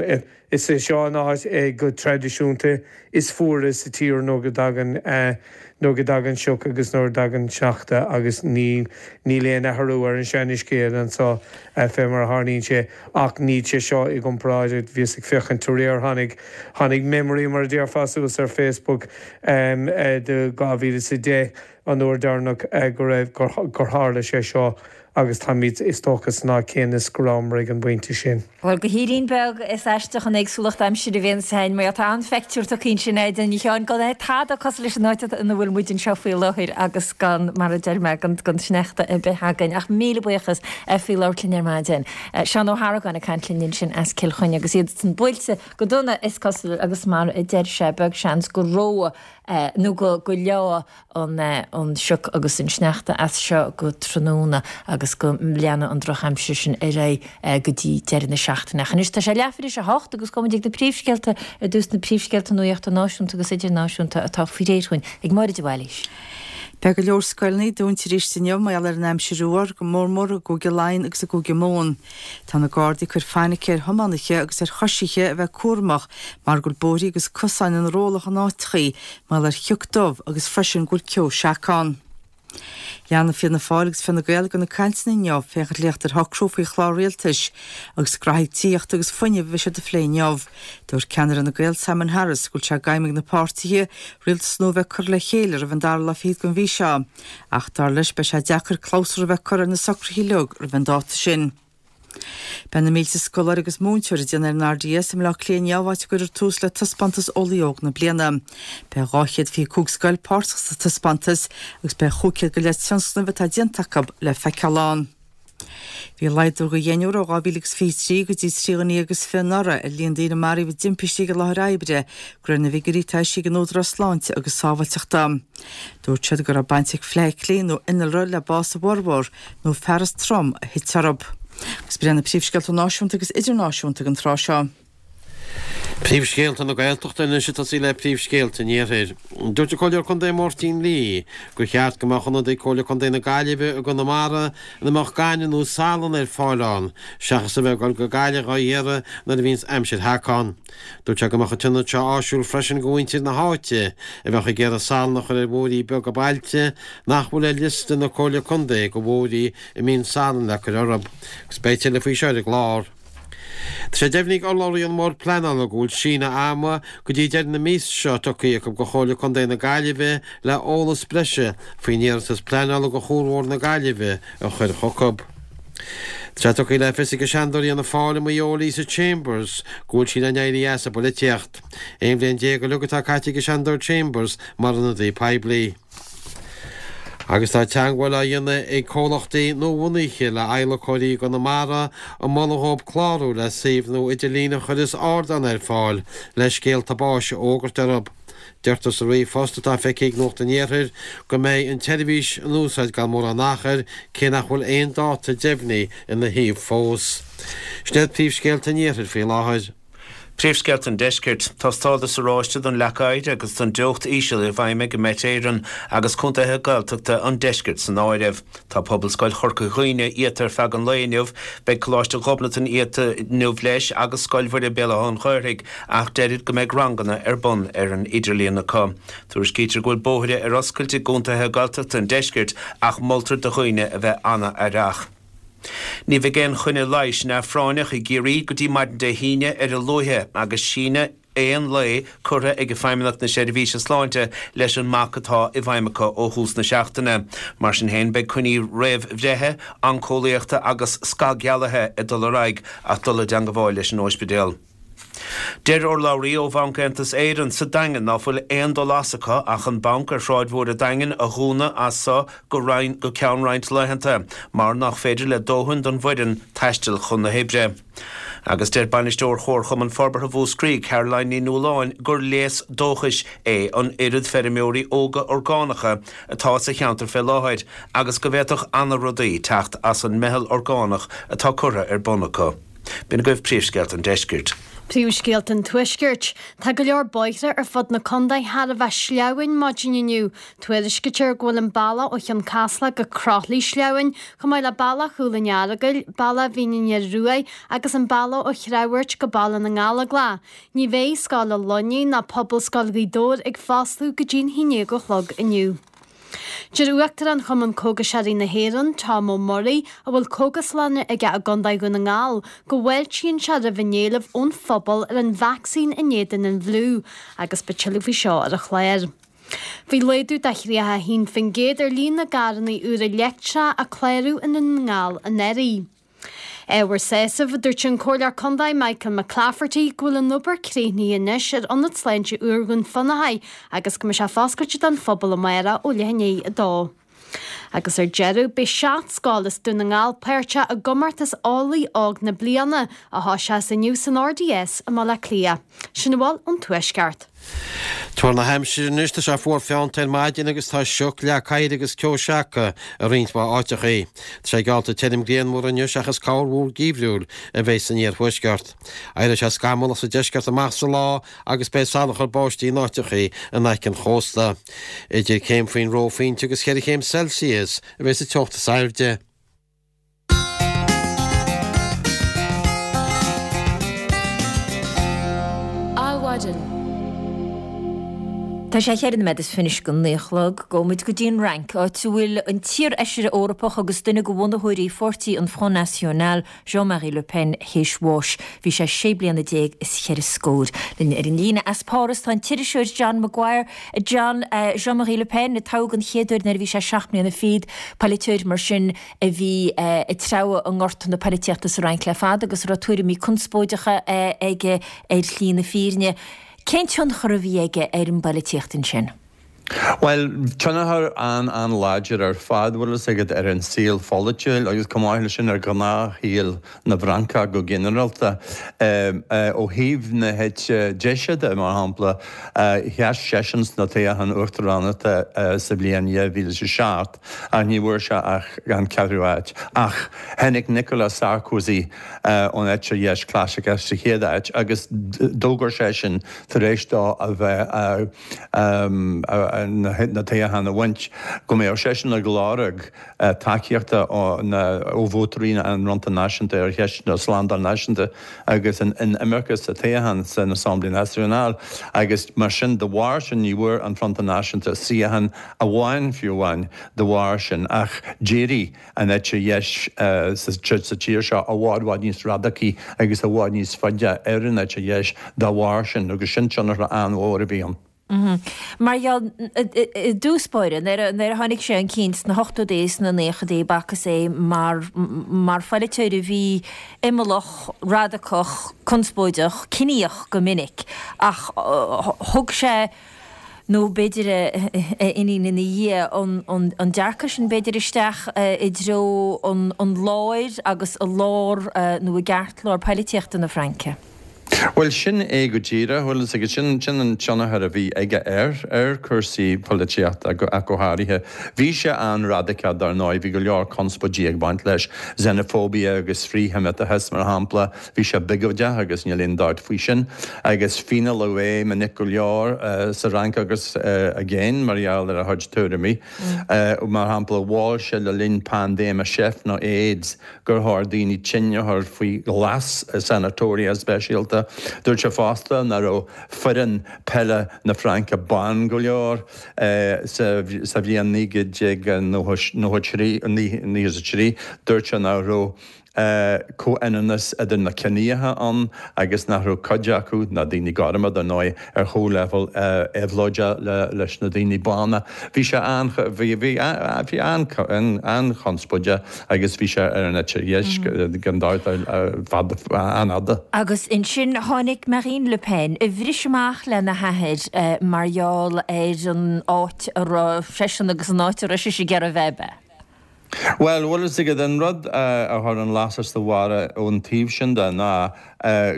Is é seo an áit é go traidisiúnta is fuaire sa tír nuair go dtagann nuair go dtagann sioc agus nuair a dtagann sneachta agus ní níl aon athrú ar an seana-scéal anseo fé mar a tharlaíonn sé ach níl sé seo i gcomparáid bhíos ag féachaint aréir tháinig tháinig memory mar a déarfá suas ar Facebook de dhá mhíle is a deich an uair deireanach go raibh gur tharla sé seo agus táimid is dócha san áit céanna is go rabhamar ag an bpointe sin.
Bhuel, go hírín beag is aisteach an éagsúlacht aimsire a bhíonn ann mar tá an phictiúr tugtha ansin agat a Sheáin gan é tada cosúil leis an áit ina bhfuil muid anseo faoi láthair agus gan mar a deir mé gan gan sneachta ar bith againn ach míle buíochas faoi labhairt linn ar maidin. Seán Ó hArgáin ag caint linn ansin as Cill Chainnigh agus iad san buailte go dona is cosúil agus mar a deir sé beag seans go raibh nó go go leá an an sioc agus an sneachta as seo go tráthnóna agus go leanfaidh an drochaimsir sin ar aghaidh go dtí deireadh na seachtaine. Anois tá sé leathuair tar éis a hocht agus gabhfaidh muid ag na príomhscéalta ar dtús na príomhscéalta nuachta náisiúnta agus idirnáisiúnta atá faoi réir chugainn ag Máire de Bhailís.
Beidh go leor scoileanna dúnta arís inniu mar gheall ar an aimsir fhuar, go mór mór i gCúige Laighean agus i gCúige Mumhan. Tá na Gardaí ag cur fainice ar thiománaithe agus ar choisithe a bheith cúramach mar go bhfuil bóithrí agus cosáin ina rollach in áiteachaí mar gheall ar shioc dubh agus freisin go bhfuil ceo seaca ann. Leanfaidh Fianna Fáil agus Fine Gael de na cainteanna inniu féachaint le theacht ar shocrú faoi chlár rialtais agus graithí tithíochta agus fuinnimh a bheidh siad a phlé inniu. Dúirt ceannaire Fhine Gael Simon Harris go bhfuil sé d'aidhm ag na páirtithe rialtas nua a bheith curtha le chéile roimh an dara lá fichead den mhí seo. Ach dar leis beidh sé deacair clabhsúr a bheith curtha ar na socruithe uilig roimh an dáta sin. Beidh na mílte scoláire agus múinteoir ag déanamh ar an RDS i mBaile Átha Cliath inniu áit a gcuirfear tús le taispeántas Eolaí Óg na bliana. Beidh dhá chéad fiche cúig scoil páirteach sa taispeántas agus beidh chúig chéad go leith tionscnamh atá déanta acu le feiceáil ann. Bhí laghdú de dheichniúr ó dhá mhíle agus fiche trí go dtí trí dhuine déag agus fiche anuraidh ar líon daoine a maraíodh i dtimpistí ag an láthair oibre, de réir na bhfigiúirí atá eisithe ag an Údarás Sláinte agus Sábháilteachta. Dúirt siad go raibh baint ag feithiclí nó innealra le bás a bhformhór nó fearas trom a thit orthu. Agus b'in iad na príomhscéalta náisiúnta agus idirnáisiúnta ag an tráth seo.
Príomhscéalta na Gaeltachta anois ag tosaí le príomhscéalta an Iarthair. Dúirt an Comhairleoir Contae Máirtín Lee gur cheart go mbeadh ionad ag Comhairle Contae na Gaillimhe i gConamara ina mbeadh gaineamh nó salann ar fáil ann, seachas a bheith ag dul go Gaillimh dhá iarraidh nuair a bhíonns aimsir sheaca ann. Dúirt sé go mbeadh an t-ionad seo áisiúil freisin go mhuintir na háite a bheadh ag iarraidh salann a chur ar bhóithrí beaga bailte nach bhfuil ar liosta na Comhairle Contae go bhóithrí a mbíonn salann le cur orthu. Agus beidh tuilleadh faoi seo ar an gclár. Tá sé deimhnithe ag urlabhraí ón mBord Pleanála go bhfuil síneadh ama go dtí deireadh na míosa seo tugtha acu go Chomhairle Contae na Gaillimhe le eolas breise faoin iarratas pleanála go Chuar Mhór na Gaillimhe a chur chucu. Tá sé tugtha le fios ag Seanadóir Fhianna Fáil i Maigh Eo Lisa Chambers go bhfuil sí le n-éirí as an bpolaitíocht. Aon bhliain déag uilig atá caite ag an Seanadóir Chambers mar ionadaí poiblí. Agus tá teagmháil á dhéanamh ag comhlachtaí nuabhunaithe le adhlacóirí i gConamara ag moladh dhóibh clárú le suíomh nua idirlín a chuireas ardán ar fáil le scéalta báis a fhógairt orthu. Deirtear sa ríomhphost atá feicthe ag Nuacht an Iarthair go mbeidh an tseirbhís in úsáid gan mórán achair cé nach bhfuil aon dáta deimhnithe ina thaobh fós. Sin iad príomhscéalta an Iarthair faoi láthair.
Príomhscéalta an Deiscirt. Tá stádas oráiste don leac oighir agus don teocht íseal i bhfeidhm ag Met Éireann agus contaetha Gaeltachta an deiscirt san áireamh. Tá Pobalscoil Chorca Dhuibhne iata ar feadh an lae inniu, beidh Coláiste Ghobnatan iata inniu leis agus Scoil Mhuire Béal Átha an Ghaorthaidh ach deirid go mbeidh ranganna ar bun ar an idirlíon acu. Tuairiscítear go bhfuil bóithre ar oscailt i gcontaetha Gaeltachta an deiscirt ach moltar do dhaoine a bheith an-aireach. Ní bheidh aon choinne leighis neamhphráinneach i gCiarraí go dtí maidin Dé hAoine ar a luaithe agus síneadh aon lae curtha ag Feidhmeannacht na Seirbhíse Sláinte leis an mbac atá i bhfeidhm acu ó thús na seachtaine. Mar sin féin beidh coinní réamhbhreithe, oinceolaíochta agus scagdhealaithe ag dul ar aghaidh ach dul i dteangabháil leis an óispidéal. Deir urlabhraí ó Bhanc Aontas Éireann sa Daingean ná fuil aon dul as acu ach an banc ar Shráid Mhór a' Daingin a dhúnadh as so go go ceann roinnt laethanta mar nach féidir le dóthain don bhfoireann taisteal chun na hoibre. Agus deir Bainisteoir Chomharchumann Forbartha Mhúscraí, Caroline Ní Nualláin, gur léas dóchais é an oiread feirmeoirí óga orgánacha atá sa cheantar fé láthair agus go bhféadfadh ana-rudaí teacht as an meitheal orgánach atá curtha ar bun acu. B'in agaibh príomhscéalta an deiscirt.
Príomhscéalta an Tuaiscirt. Tá go leor bóithre ar fud na contae thar a bheith sleamhain maidin inniu. Tuairiscítear go bhfuil an bealach ó Chionn Caslach go Croithlí sleamhain, chomh maith le bealach Chúil an Earagail, bealach Mhín an Fhir Ruaidh agus an bealach ó Shrath Bhuirt go Baile na nGallóglach. Ní bheidh Scoil an Luinnigh ná Pobalscoil Ghaoth Dobhair ag foscladh go dtí an haon déag a chlog inniu. Deir Uachtarán Chumann Cógaiseoirí na hÉireann, Tom Ó Muirí, a bhfuil cógaslanna aige i gContae Dhún na nGall, go bhfáiltíonn sé roimh an éileamh ón phobal ar an vacsaín in éadan an bhfliú, agus beidh tuilleadh faoi seo ar an chlár. Bhí laghdú de thríocha a haon faoin gcéad ar líon na gcarranna úra leictreacha a cláraíodh i nDún na nGall anuraidh. Ábhar sásaimh, a dúirt an Comhairleoir Contae Michael McClafferty, go bhfuil an obair críochnaithe anois ar Ionad Sláinte úr Dhún Fionnachaidh agus go mbeidh sé foscailte don phobal amárach ó leath i ndiaidh a dó. Agus ar deireadh, beidh seacht scoil as Dún na nGall páirteach i gcomórtas Eolaí Óg na Bliana a thoiseos inniu san RDS i mBaile Átha Cliath. Sin a bhfuil ón Tuaisceart.
Tuar na haimsire anois, tá sé fuar feannta ar maidin agus tá sioc, leac oighir agus ceo seaca i roinnt mhaith áiteachaí. Tá sé geallta tirim grianmhar inniu seachas corrmhúr geimhriúil a bheidh san iarthuaisceart. Éireoidh sé scamallach sa deisceart amach sa lá agus beidh salachar báistí in áiteachaí in aice an chósta. Idir céim faoin reophointe agus cheithre chéim Celsius a bheidh sa teocht is airde.
Adhmhaidin. Tá sé cheithre nóiméad is fiche anois go naoi a chlog. Gabhfaidh muid go dtí an Fhrainc, áit a bhfuil an t-iarfheisire Eorpach agus duine de bhunaitheoirí pháirtí an Front National, Jean-Marie Le Pen, théis bháis. Bhí sé sé bliana déag is cheithre scór. Linn ar an líne as Páras tá an t-iriseoir John Maguire. John, Jean-Marie Le Pen, a toghadh an chéad uair nuair a bhí sé seacht mbliana fichead, polaiteoir mar sin a bhí ag treabhadh i ngort na polaitíochta sa Fhrainc le fada agus a raibh tuairimí conspóideacha aige ar shlí na fírinne. Cén tionchar a bhí aige ar an bpolaitíocht ansin?
Bhuel, tionchar an-an-láidir ar fad, bhfuil fhios agat, ar an saol pholaitiúil agus chomh maith leis sin ar ghnáthshaol na bhFrancach go ginearálta. Ó thaobh na heite deise de, mar shampla, sheas seisean sna toghcháin uachtaránachta sa bhliain dhá mhíle is a seacht ach ní bhfuair sé ach an ceathrú áit. Ach tháinig Nicolas Sarkozy ón eite dheis clasaiceach sa chéad áit agus d'fhógair seisean tar éis dó a bheith na toghcháin a bhaint, go mbeadh seisean ag lorg tacaíochta ó vótóirí an Fhronta Náisiúnta ar cheist na slándáil náisiúnta agus an inimirce sa toghchán san Assemblée Nationale agus mar sin de bharr sin ní bhfuair an Fronta Náisiúnta suíochán amháin fiú amháin de bharr sin ach d'éirigh an eite dheis sa tír seo i bhfad i bhfad níos radacaí agus i bhfad níos faide ar an eite dheis dá bharr sin agus sin tionchar an-mhór a bhí ann.
Mar gheall, i dtús báire, nuair a tháinig sé chun cinn sna hochtóidí is sna naochaidí, b'fhacthas é mar mar pholaiteoir a bhí imeallach, radacach, conspóideach, ciníoch go minic ach thug sé, nó b'fhéidir a iníon ina dhiaidh, an dearcadh sin b'fhéidir isteach i dtreo an láir agus i lár nó i gceartlár poilitíochta na Fraince.
Bhuel, sin é go díreach, bhfuil fhios agat, sin, sin an tionchar a bhí aige ar, ar chúrsaí polaitíochta ach go háirithe. Bhí sé an-radacach dar ndóigh, bhí go leor conspóidí ag baint leis, xenophobia agus frith-Sheimiteachas mar shampla, bhí sé biogóideach agus níl aon dabht faoi sin, agus fíneáladh é minic go leor sa Fhrainc agus i gcéin mar gheall ar a chuid tuairimí. Mar shampla, mhol sé le linn paindéime seif nó AIDS gur chóir daoine tinne a chur faoi ghlas i sanatoria speisialta. Dúirt sé fosta nach raibh foireann peile na Fraince ban go leor sa bhliain naoi déag nócha trí. Dúirt sé nach raibh comhionannas idir na ciníocha ann agus nach raibh cuid acu, na daoine gorma dar ndóigh, ar chomhleibhéal éabhlóide leis na daoine bána. Bhí sé an, bhí, bhí, bhí an-chonspóideach agus bhí sé ar an eite dheis gan dabht ar fad an-fhada.
Agus ansin tháinig Marine Le Pen, a bhris amach lena hathair mar gheall ar an áit a raibh seisean agus an áit a raibh sise ag iarraidh a bheith, ab ea?
Bhuel, bhfuil fhios agat, an rud a chuir an lasair sa bharra ón taobh sin de ná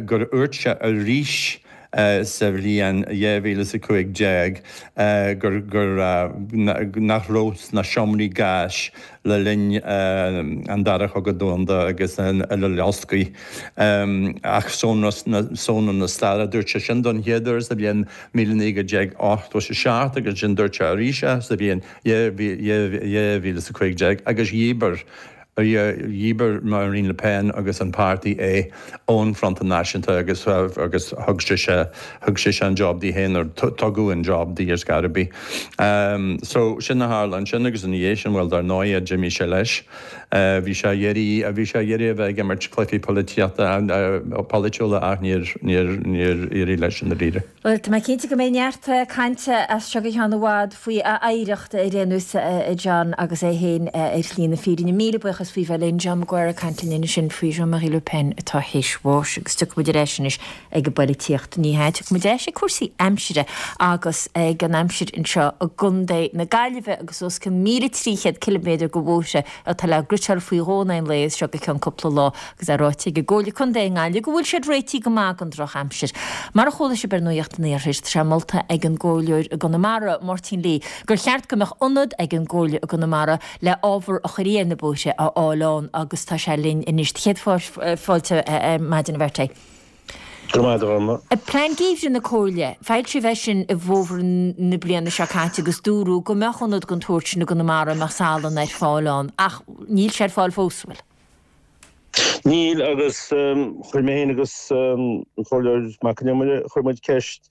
gur dhúirt sé arís sa bhliain dhá mhíle is a cúig déag gur gur nach raibh sna seomraí gáis le linn an Dara Chogadh Domhanda agus an Uileloscadh ach sonra sonra na staire. Dúirt sé sin don chéad uair sa bhliain míle naoi déag ochtó is a seacht agus ansin dúirt sé arís é sa bhliain dhá mhíle is a cúig déag agus dhíbir Dhíbir Marine Le Pen agus an páirtí é ón Fronta Náisiúnta agus agus thug sé thug sé an job di féin nó tugadh an job di ar scor ar bith. So sin a tharla ansin agus ina dhiaidh sin bhuel dar ndóigh d'imigh sé leis. Bhí sé ag iarraidh bhí sé ag iarraidh a bheith ag imirt cluichí polaitíochta polaitiúla ach níor níor níor éirigh leis i ndáiríre.
Bhuel, tá mé cinnte go mbeidh neart cainte as seo go ceann i bhfad faoi a oidhreacht ar aon nós, a John, agus é féin ar shlí na fírinne. Míle buíochas faoi bheith linn, John Maguire ag caint linn ansin faoi Jean-Marie Le Pen atá théis bháis. Agus tiocfaidh muid ar ais anois ag an bpolaitíocht. Ní hea, tiocfaidh muid ar ais ag cúrsaí aimsire agus ag an aimsir anseo i gContae na Gaillimhe agus os cionn míle trí chéad ciliméadar de bhóithre atá le gritteáil faoi dhó in aghaidh an lae as seo go ceann cúpla lá agus é ráite ag an gComhairle Contae i nGaillimh go bhfuil siad réitithe go maith don drochaimsir. Mar a chuala sibh ar Nuacht an Iarthair, tá sé molta ag an gComhairleoir i gConamara, Máirtín Lee, gur cheart go mbeadh ionad ag an gComhairle i gConamara le ábhar a chuirfí ar na bóithre a fháil ann agus tá sé linn anois. Céad fáilte ar maidin a Mharty.
Go raibh maith agat, a Ghormfhlaith.
Plean Geimhridh na Comhairle, foilsíodh é sin i bhfómhar na bliana seo caite agus dúradh go mbeadh ionad den tsórt sin i gConamara a mbeadh salann ar fáil ann ach níl sé ar fáil fós, an bhfuil?
Níl agus chuir mé féin agus an Comhairleoir Mac Con Iomaire, chuir muid ceist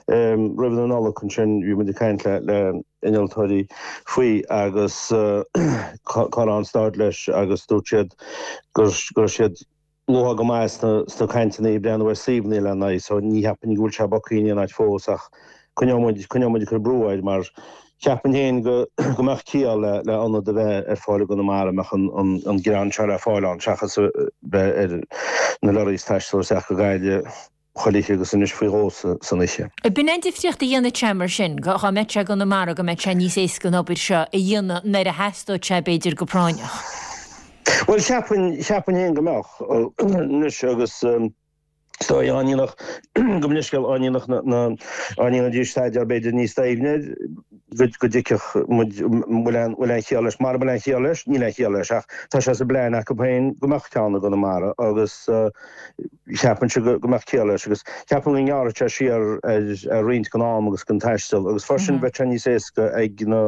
roimh na Nollag ansin, bhí muid ag caint le innealtóirí faoi agus cá raibh an staid leis agus dúirt siad go raibh siad luath go maith sna cainteanna ag breathnú ar suíomhanna lena aghaidh so ní cheapfainn go bhfuil sé bogtha in aon áit fós ach coinneoidh muid, coinneoidh muid ag cur brú air mar cheapfainn féin go go mbeadh ciall le le ionad a bheith ar fáil i gConamara, a mbeadh an an an grean seo le fáil ann seachas a bheith ar na lorraí is taisteal isteach go Gaillimh chuile oíche agus anois faoi dhó san oíche.
B'in an difríocht a dhéanfadh sé mar sin, dá mbeadh sé i gConamara go mbeadh sé níos éasca an obair seo a dhéanamh nuair a theastódh sé b'fhéidir go práinneach.
Bhuel, cheapfainn, cheapfainn féin go mbeadh anois agus is dóigh dá ndéanfadh, gabh mo leithscéal, dá ndéanfadh na, dá ndéanfaidís staidéar b'fhéidir níos doimhne air go, go dtuigfeadh muid an bhfuil aon, bhfuil aon chiall leis. Mara bhfuil aon chiall leis, níl aon chiall leis ach tá sé sa bplean acu féin go mbeadh ceann i gConamara agus cheapfainnse go, go mbeadh ciall leis agus cheapfainn go ngearrfadh sé siar ar, ar roinnt den am agus den taisteal agus freisin bheadh sé níos éasca ag na,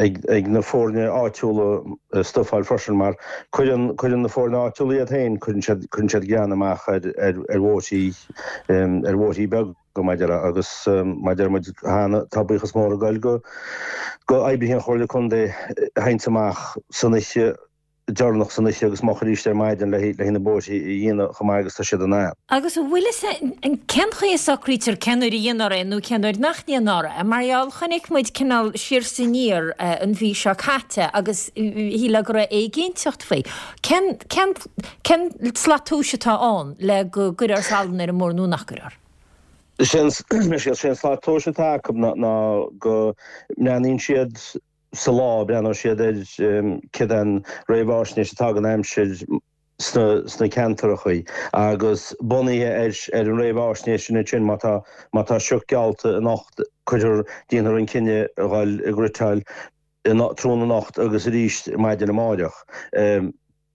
ag na foirne áitiúla stufáil freisin mar cuireann cuireann na foirne áitiúla iad féin, cuireann siad cuireann siad grean amach ar ar ar bhóithrí ar bhóithrí beaga mar a déarfá agus mar a deir muid cheana tá buíochas mór ag goil go go oibrithe an Chomhairle Contae a théanns amach san oíche deireanach san oíche agus moch arís ar maidin le haghaidh na bóithre a dhíonadh chomh maith agus tá siad in ann.
Agus an bhfuil fhios a'd cén chaoi a socraítear cén uair a dhéanfar é nó cén uair nach ndéanfar é? Mar gheall, chonaic muid cineál siar is aniar an mhí seo caite agus shílfeá go raibh éiginnteacht faoi. Cén, cén, cén slat tomhais atá ann le go gcuirfear salann ar an mbóthar nó nach gcuirfear?
Is é an, is é an slat tomhais atá acu ná go mbreathnaíonn siad sa lá, breathnóidh siad ar céard é an réamhaisnéis atá den aimsir sna ceantarachaí agus bunaithe ar an réamhaisnéis sin ansin má tá má tá sioc geallta anocht cuirfear, déanfar an cinneadh a dhul ag gritteáil tráthnóna anocht agus arís maidin amáireach.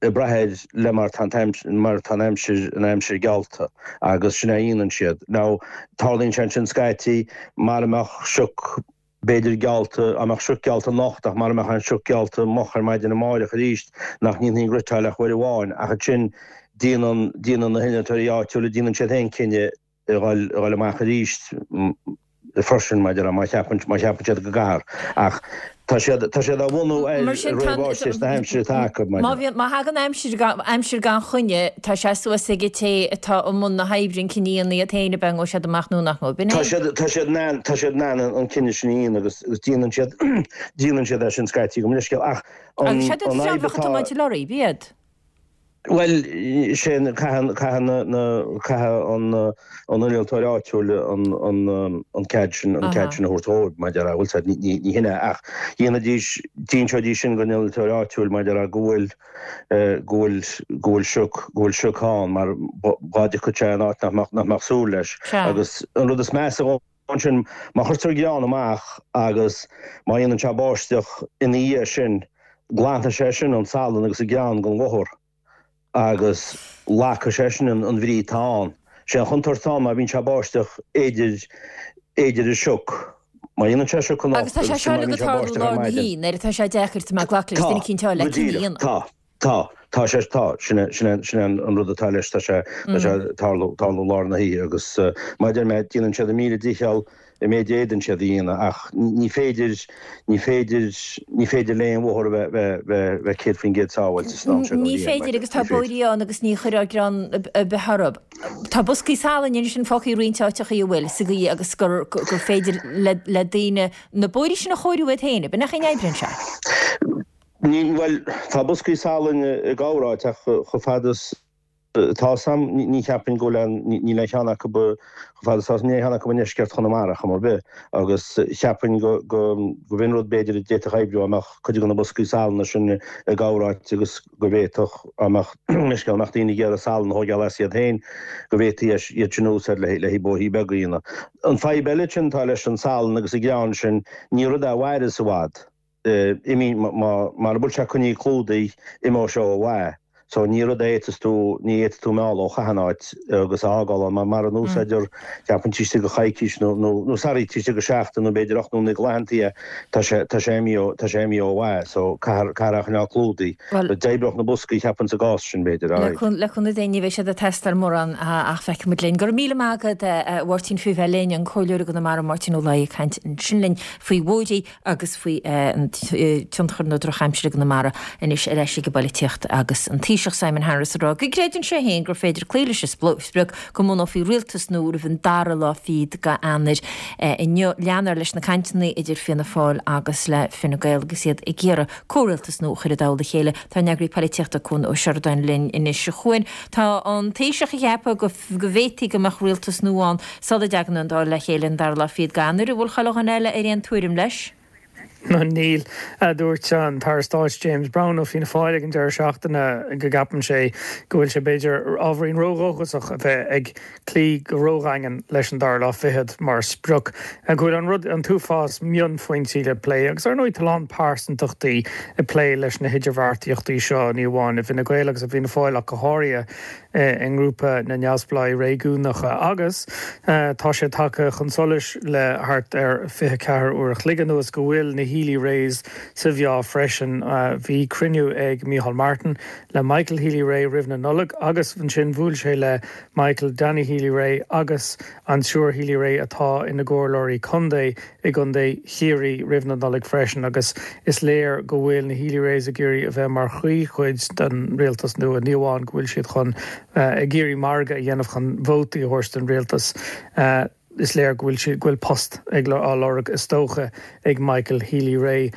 Ag brath ar le mar tá an mar tá an aimsir an aimsir geallta agus sin é a dhéanann siad. Now tarlaíonn sé ansin scaití mara mbeadh sioc b'fhéidir geallta, dá mbeadh sioc geallta anocht ach mara mbeadh aon sioc geallta moch ar maidin amáireach arís nach ndéanfaí an ghriotáil ach uair amháin ach ansin déanann déanann na hinnealtóirí áitiúla déanann siad féin cinneadh a dhul a dhul amach arís freisin maidir le má cheapann má cheapann siad go gcaithfear ach tá siad tá siad á bhunú ar
Mar sin tá
réamhaisnéis na haimsire atá acu
má
maidir.
bhíonn má thagann aimsir gan aimsir gan choinne tá sé suas ag an té atá i mbun na hoibre an cinneadh a dhéanamh iad féin ab é an ngabhfaidh siad amach nó nach ngabhfaidh. B'in
Tá
é.
siad tá siad in ann tá siad in ann an cinneadh sin a dhéanamh agus agus déanann siad déanann siad é sin scaití gabh mo leithscéal ach an
Agus siad
an
iad
fhadhb
a
atá
tiomáint lorraí, b'iad.
Bhuel, sin, caithfidh, caithfidh na, na, caithfidh an, an innealtóir áitiúil an, an, an cead sin, an cead sin a thabhairt dhóibh, mar a déarfá, bhfuil 's a'd, ní, ní, ní hin é, ach dhéanfaidís, d'inseoidís sin don innealtóir áitiúil, mar a déarfá, go bhfuil, go bhfuil, go bhfuil sioc, go bhfuil sioc ann, mar dhá dtiocfadh sé in áit nach mbeadh, nach mbeadh súil leis. Agus an rud is measa ansin, má chuirtear greann amach agus má dhéanann sé báisteach ina dhiaidh sin, glanfaidh sé sin an salann agus an greann den bhóthar agus lagfaidh sé sin an bhrí atá ann. Sé an chontúirt atá ann má bhíonn sé ag báisteach idir idir an sioc. Má dhéanann sé sioc anocht
Agus tá sé
agus
seo
má
uilig
bhíonn
ag
sé ag
tarlú
báisteach ar
lár na
maidin.
hoíche, nuair atá sé deacair, tá mé ag glacadh leis,
Tá,
duine eicínt a fháil le
go
cinneadh a
díreach,
dhéanamh.
tá, tá, tá sé, tá, sin é, sin é, sin é an rud atá leis, tá sé, tá sé ag tarlú, tarlú lár na hoíche agus mar a deir mé, déanann siad a míle dícheall an méid a fhéadann siad a dhéanamh ach ní féidir, ní féidir, ní féidir le aon bhóthar a bheith, bheith, bheith, bheith céad faoin gcéad sábháilte san am seo den
Ní
bhliain,
féidir agus
ní
tá
féidir.
bóithrí ann agus ní chuirfeá greann ar bith orthu. Tá boscaí salainn ansin fágtha i roinnt áiteachaí a bhfuil sa gcaoi agus gur, gur féidir le, le daoine na bóithrí sin a chóiriú iad féin, ab in nach n-oibríonn sé?
Ní, bhuel, tá boscaí salainn i gcorráit ach chomh fada is Tá 'fhios a'm, ní cheapfainn go bhfuil aon, níl aon cheann acu, chomh fada is tá 'fhios a'm, níl aon cheann acu i ndeisceart Chonamara chuma ar bith agus cheapfainn go, go, go b'in rud b'fhéidir a d'fhéadfadh oibriú dá mbeadh cuid de na boscaí salainn sin i gcorráit agus go bhféadfadh, dá mbeadh, dá mbeadh daoine ag iarraidh salann a thógáil as iad féin, go bhféadfaí iad sin a úsáid le haghaidh bóithrí beaga a dhéanamh. An fadhb eile sin atá leis an salann agus an greann sin, ní rud é a mhaireas i bhfad. Imíonn, mara bhfuil sé coinnithe clúdaithe, imeoidh sé ó mhaith. So ní rud é a fhéadfas tú, ní fhéadfaidh tú imeall ó chath in áit agus a fhágáil ann mar mara n-úsáidtear, cheapfainn taobh istigh de choicís nó, nó, nó sorry, taobh istigh de seachtain nó b'fhéidir ocht nó naoi de laethantaí é, tá sé, tá sé imithe ó, tá sé imithe ó mhaith. So caithfear, caithfear é a choinneáil clúdaithe.
Bhuel.
D'oibreodh na boscaí cheapfainn sa gcás sin b'fhéidir,
Le
alright.
le cúnamh Dé ní bheidh siad ag teastáil mórán ach feicfidh muid linn. Go raibh míle maith agat a Mháirtín faoi bheith linn, an Comhairleoir i gConamara Máirtín Ó Laoi ag caint ansin linn faoi bhóithrí agus faoi tionchar na drochaimsire i gConamara anois ar ais ag an bpolaitíocht agus an Taoiseach Simon Harris ag rá go gcreideann sé féin gur féidir cloí leis an sprioc go mbunófaí rialtas nua roimh an dara lá fichead d'Eanáir. Inniu leanfar leis na cainteanna idir Fianna Fáil agus le Fine Gael agus iad ag iarraidh comhrialtas nua a chur i dtoll a chéile. Tá ár n-eagraí polaitíochta Cuan Ó Seireadáin linn anois. A Chuain, tá an Taoiseach ag ceapadh go bhféadfaí go mbeadh rialtas nua ann sula dtagann an Dáil le chéile an dara lá fichead d'Eanáir. An bhfuil chuile dhuine eile ar aon tuairim leis?
Níl, a dúirt an tAire Stáit James Browne ó Fianna Fáil ag an deireadh seachtaine go gceapann sé go bhfuil sé b'fhéidir ábhairín ródhóchasach a bheith ag cloí go ródhaingean leis an dara lá fichead mar sprioc, go bhfuil an rud, an t-uafás mionphointí le plé agus ar ndóigh tá a lán pearsantachtaí ag plé leis na hidirbheartaíochtaí seo, ní amháin i bhFine Gael agus i bhFianna Fáil ach go háirithe i ngrúpa na neamhspleáigh réigiúnacha agus tá sé tagtha chun solais le thart ar fiche ceathair uair a chloig anuas go bhfuil na Healy-Raes sa mheá freisin. Bhí cruinniú ag Micheál Martin le Michael Healy-Rae roimh na Nollag agus ansin bhuail sé le Michael, Danny Healy-Rae agus an triúr Healy-Rae atá ina gcomhairleoirí contae i gContae Chiarraí roimh na Nollag freisin agus is léir go bhfuil na Healy-Raes ag iarraidh a bheith mar chroíchuid den rialtas nua, ní amháin go bhfuil siad chun ag iarraidh margadh a dhéanamh chun vótaí a thabhairt don rialtas. Is léir go bhfuil siad, go bhfuil post ag á lorg is dócha ag Michael Healy-Rae.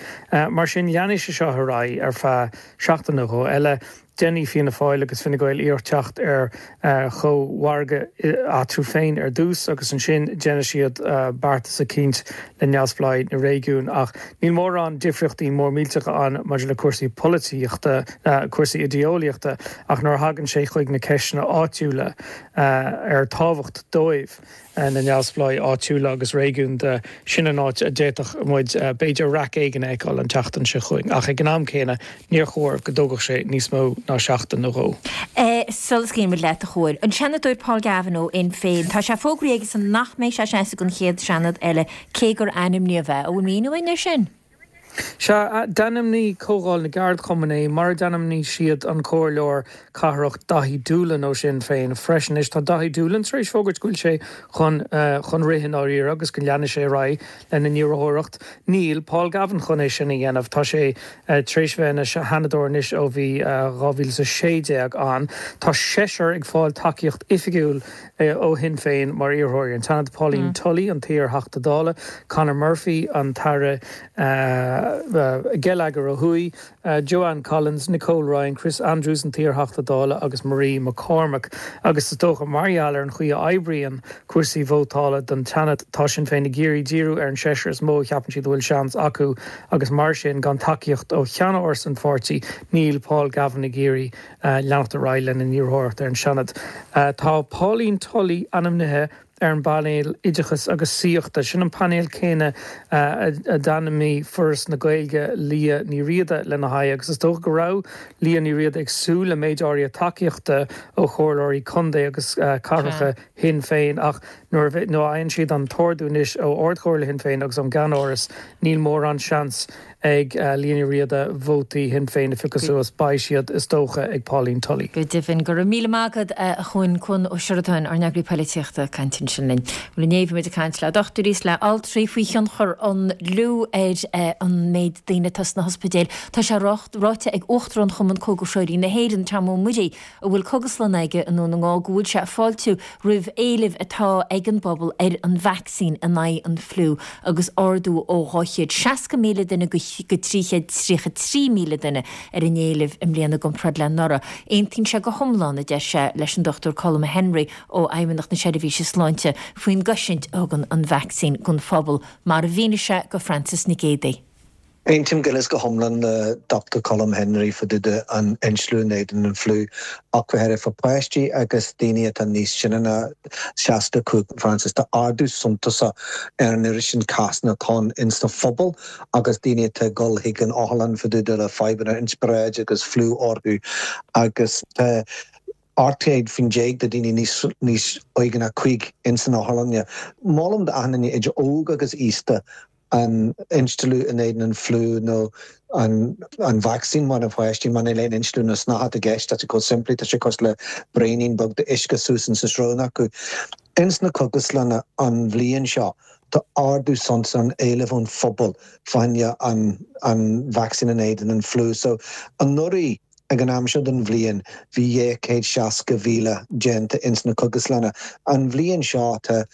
Mar sin leanfaidh sé seo ar aghaidh ar feadh seachtain nó dhó eile. Déanfaidh Fianna Fáil agus Fine Gael iarracht teacht ar chomh-mhargadh eatarthu féin ar dtús agus ansin déanfaidh siad beartas eicínt le neamhspleáigh na réigiún. Ach níl mórán difríochtaí mór millteacha ann maidir le cúrsaí polaitíochta, cúrsaí idé-eolaíochta ach nuair a thagann sé chuig na ceisteanna áitiúla ar tábhacht dóibh, na neamhspleáigh áitiúla agus réigiúnda, sin an áit a d'fhéadfadh muid b'fhéidir raic éigin a fheiceáil an tseachtain seo chugainn. Ach ag an am céanna, níor chóir go dtógfadh sé níos mó ná seachtain nó dhó.
Sula scaoilimid leat, a Chuain, an Seanadóir Paul Gavin ó Fhinn Féin, tá sé fógraithe aigesan nach mbeidh sé ag seasamh don chéad Seanad eile, cé gur ainmníodh é. An bhfuil míniú againn air sin?
Sea, d'ainmnigh Comhdháil na gCeardchumann é, mar a d'ainmnigh siad an Comhairleoir Cathrach Daithí Doolan ó Sinn Féin freisin. Anois tá Daithí Doolan tar éis fógairt go bhfuil sé chun chun rith i ndáiríre agus go leanfaidh sé ar aghaidh lena n-iarrthóireacht. Níl Paul Gavin chun é sin a dhéanamh. Tá sé tar éis bheith ina Sheanadóir anois ó bhí dhá mhíle is a sé déag ann. Tá seisear ag fáil tacaíocht oifigiúil ó Shinn Féin mar iarrthóirí, an Seanadóir Pauline Tully, an t-iar-Theachta Dála, Conor Murphy, an tAire Geilleagar ó thuaidh, Joanne Collins, Nicole Ryan, Chris Andrews an t-iarTheachta Dála agus Marie McCormack. Agus is dócha mar gheall ar an chaoi a oibríonn cúrsaí vótála don tSeanad, tá Sinn Féin ag iarraidh díriú ar an seisear is mó a cheapann siad a bhfuil seans acu agus mar sin gan tacaíocht ó cheannáras an pháirtí níl Paul Gavin ag iarraidh leanacht ar aghaidh lena n-iarrthóireacht ar an Seanad. Tá Pauline Tully ainmnithe ar an bpainéal Oideachais agus Saíochta. Sin an painéal céanna a d'ainmnigh Foras na Gaeilge Liadh Ní Riada lena haghaidh agus is dócha go raibh Liadh Ní Riada ag súil le méid áirithe tacaíochta ó chomhairleoirí contae agus cathracha Shinn Féin ach nuair a fhaigheann siad an t-ordú anois ó Ard-Chomhairle Shinn Féin agus ón gceannáras níl mórán seans ag Liadh Ní Riada vótaí Shinn Féin a phiocadh suas. Beidh siad, is dócha, ag Pauline Tully.
Go deimhin. Go raibh míle maith agat, a Chuain, Cuan Ó Seireadáin, ár n-eagraí poilitíochta, ag caint ansin linn. Bhuel, inné bhí muid ag caint le dochtúirí is le altraí faoi thionchar an fhliú ar an méid daoine atá sna hospidéil. Tá sé ráite ag Uachtarán Chumann Cógaiseoirí na hÉireann, Tom Ó Muirí, a bhfuil cógaslann aige i nDún na nGall, go bhfuil sé ag fáiltiú roimh éileamh atá ag an bpobal ar an vacsaín in aghaidh an fliú agus ardú ó dhá chéad seasca míle duine go trí chéad tríocha trí míle duine ar an éileamh i mbliana i gcomparáid le anuraidh. Aontaíonn sé go hiomlán, a deir sé, leis an Dochtúir Colm Henry ó Fheidhmeannacht na Seirbhíse Sláinte faoin gcosaint a thugann an vacsaín don phobal, mar a mhínigh sé go Frances Nic Géadaigh.
Aontaím go go hiomlán le Doctor Colm Henry fá dtaobh de an insliú in éadan an fliú, ach go háirithe fá páistí agus daoine atá níos sine ná seasca cúig Frances. Tá ardú suntasach ar an oiread sin cásanna atá ann insa phobal agus daoine atá ag dul chuig an otharlann fá dtaobh de le fadhbanna inspioráide agus fliú orthu agus tá ocht gcéad faoin déag de daoine níos níos óige ná cúig ins an otharlann. Molaim d'achan duine idir óg agus aosta an instealladh in éadan an fliú nó an an vacsaín mar a pháistí mar níl aon instealladh nó snáthaid i gceist, tá sé chomh simplí, tá sé cosúil le braoinín beag d'uisce suas insa srón acu. Ins na cógaslanna an bhliain seo tá ardú suntasach an éileamh ón phobal fá choinne an an vacsaín in éadan an fliú. So anuraidh ag an am seo den bhliain bhí dhá chéad seasca mhíle déanta ins na cógaslanna. An bhliain seo tá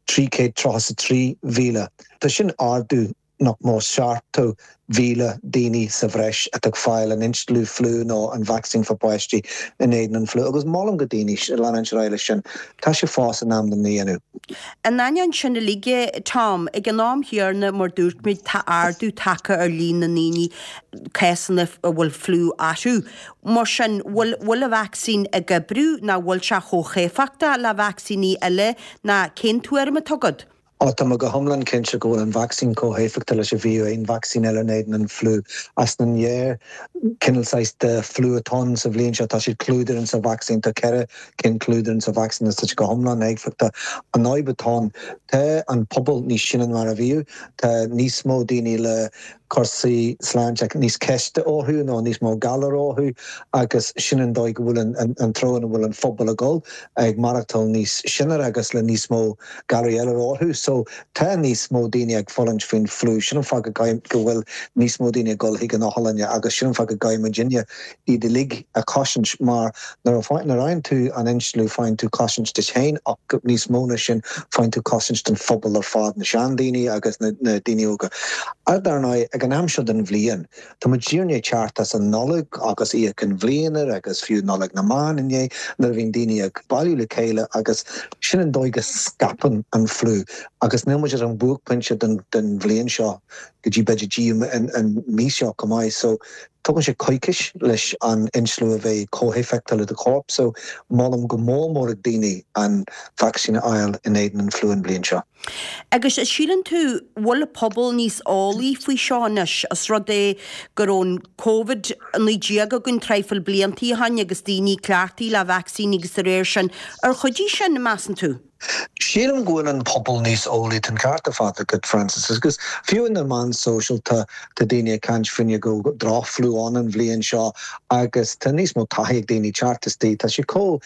trí chéad tríocha is a trí mhíle. Tá sin ardú nach mór seachtó mhíle daoine sa bhreis atá ag fáil an instealladh fliú nó an vacsaín fá pháistí in éadan an fliú. Agus molaim go daoine leanúint ar aghaidh leis sin. Tá sé fós in am lena dhéanamh.
In ainneoin sin uilig, Tom, ag an am chéanna, mar dúirt muid, tá ardú tagtha ar líon na ndaoine, cásanna a bhfuil fliú orthu. Mar sin, bhfuil bhfuil an vacsaín ag oibriú nó bhfuil sé chomh héifeachtach le vacsaíní eile nó cén tuairim atá agat?
Ó, tá mé go hiomlán cinnte go bhfuil an vacsaín chomh héifeachtach leis a bhí aon vacsaín eile in éadan an fliú. As na dhéir cineál saghas de fliú atá ann sa bhliain seo, tá siad clúdaithe sa vacsaín, tá ceithre cinn clúdaithe sa vacsaín is tá sé go hiomlán éifeachtach. An fhadhb atá ann, tá an pobal níos sine mar a bhíodh, tá níos mó daoine le cúrsaí sláinte níos ceiste orthu nó níos mó galar orthu agus sin an dóigh go bhfuil an treo ina bhfuil an phobal ag dul, ag maireachtáil níos sine agus le níos mó galair eile orthu. So tá níos mó daoine ag fulaingt faoin fliú. Sin an fáth go go bhfuil níos mó daoine ag dul chuig an otharlann agus sin an fáth go gcaithfidh muidinne iad uilig a chosaint mar nuair a fhaigheann tú an insliú faigheann tú cosaint duit féin ach níos mó ná sin faigheann tú cosaint don phobal ar fad, na seandaoine agus na daoine óga. Ar dar ndóigh, ag an am seo den bhliain, tá muid díreach i ndiaidh teacht as an Nollaig agus Oíche Chinn Bhliana agus fiú Nollaig na mBan inné nuair a bhíonn daoine ag bailiú le chéile agus sin an dóigh go scaipeann an fliú agus níl muid ar an buaicphointe den den bhliain seo go dtí b'fhéidir dtí an an mí seo chomh maith so tógann sé coicís leis an insliú a bheith chomh héifeachtach le do chorp so molaim go mór mór ag daoine an vacsaín a fháil in éadan an fliú an bhliain seo.
Agus síleann tú bhfuil an pobal níos eolaí faoi seo anois, os rud é go raibh an Covid a naoi déag againn traidhfil bliantaí ó shin agus daoine cleachtaithe le vacsaíní agus de réir sin, ar chuidigh sin, measann tú?
Sílim go bhfuil an pobal níos eolaí, tá an ceart ar fad agat Frances, agus fiú na meáin sóisialta tá daoine ag caint faoin go bhfuil drochfhliú ann an bhliain seo agus tá níos mó taithí ag daoine teacht istigh, tá sé chomh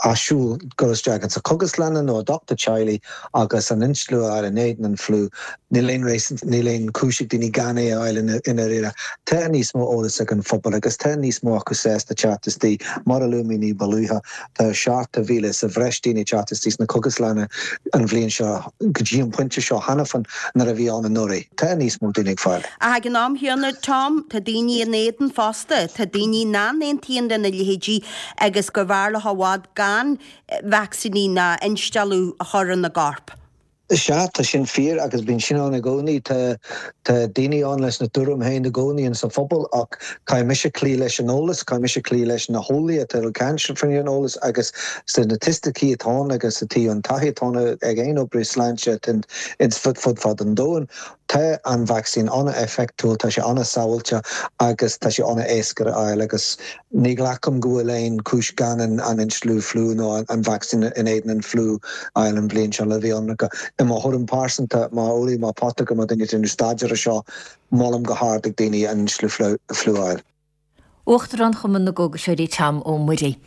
áisiúil dul isteach insa chógaslanna nó dochtúir teaghlaigh agus an insliú a fháil in éadan an fliú. Níl aon réasún, níl aon chúis ag daoine gan é a fháil i ndáiríre. Tá níos mó eolas ag an phobal agus tá níos mó acu sásta teacht istigh. Mar a luaigh mé ní ba luaithe, tá seachtó mhíle sa bhreis daoine ag teacht istigh sna cógaslanna an bhliain seo go dtí an pointe seo cheana féin ná a bhí ann anuraidh. Tá níos mó daoine ag fáil.
Ach ag an am chéanna, Tom, tá daoine in éadan fosta. Tá daoine nach n-aontaíonn lena leithéidí agus gur bhfearr leo i bhfad gan vacsaíní ná instealladh a chur ina gcorp.
Sea, tá sin fíor agus bíonn sin ann i gcónaí. Tá tá daoine ann leis na tuairim féin i gcónaí in sa phobal ach caithfidh mise cloí leis an eolas, caithfidh mise cloí leis na heolaí atá ag caint faoin eolas agus sna staitisticí atá ann agus sa tí an taithí atá ag aon oibrí sláinte ins fud fud fad an domhain. Tá an vacsaín an-éifeachtúil, tá sé an-sábháilte agus tá sé an-éasca a fháil agus ní ghlacaim go bhfuil aon chúis gan an an insliú fliú nó an vacsaín in éadan an fliú a fháil an bhliain seo le bheith ionraic. I mo thuairim pearsanta, mar eolaí, mar photogra, mar duine ag déanamh staidéar air seo, molaim go hard ag daoine an insliú fliú a fháil.
Uachtarán Chumann na gCógaiseoirí Tom Ó Muirí.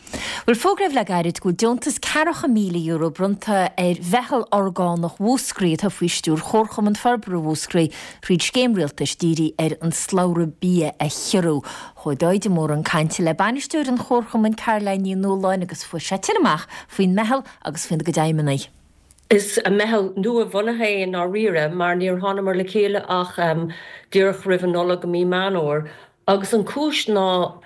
Bhuel fógraíodh le gairid go bhfuil deontas ceathracha míle euro bronnta ar Mheitheal Orgánach Mhúscraí atá faoi stiúir Chomharchumann Forbartha Mhúscraí fríd scéim rialtais dírithe ar an slabhra bia a chiorrú. Chuaigh Dáithí de Mórdha chun cainte le bainisteoir an Chomharchumainn Caroline Ní Nualláin agus fuair sé tuilleadh amach faoin meitheal agus faoina gcuid aidhmeanna.
Is meitheal nua-bhunaithe é i ndáiríre mar níor thánamar le chéile ach díreach roimh an Nollaig i mí Meán Fhómhair Agus an cúis ná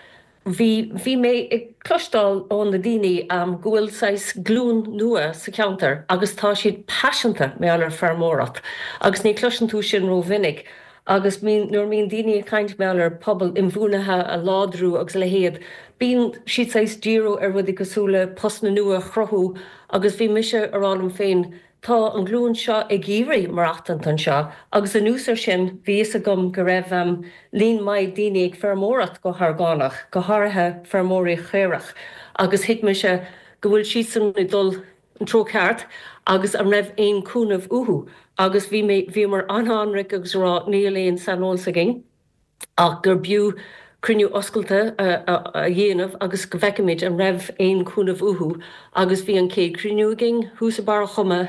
bhí bhí mé ag cloisteáil ó na daoine go bhfuil saghas glúin nua sa cheantar agus tá siad paiseanta mar gheall ar feirmeoireacht agus ní chloiseann tú sin rómhinic agus nuair a bhíonn daoine ag caint mar gheall ar pobal inbhuanaithe a láidriú agus a leithéid, bíonn siad saghas díriú ar rudaí cosúil le postanna nua a chruthú agus bhí mise a rá liom féin Tá an glúin seo ag iarraidh maireachtaint anseo agus anuas air sin bhí fhios agam go raibh líon maith daoine ag feirmeoireacht go horgánach, go háirithe feirmeoirí caorach agus thuig mise go bhfuil siadsan ag dul an treo ceart agus an raibh aon cúnamh uathu agus bhí mé bhíomar an-ionraic agus a rá níl aon saineolas againn. ach gur b'fhiú cruinniú oscailte a dhéanamh agus go bhfeicfimid an raibh aon chúnamh uathu agus bhí an chéad chruinniú againn thuas i Barra Choma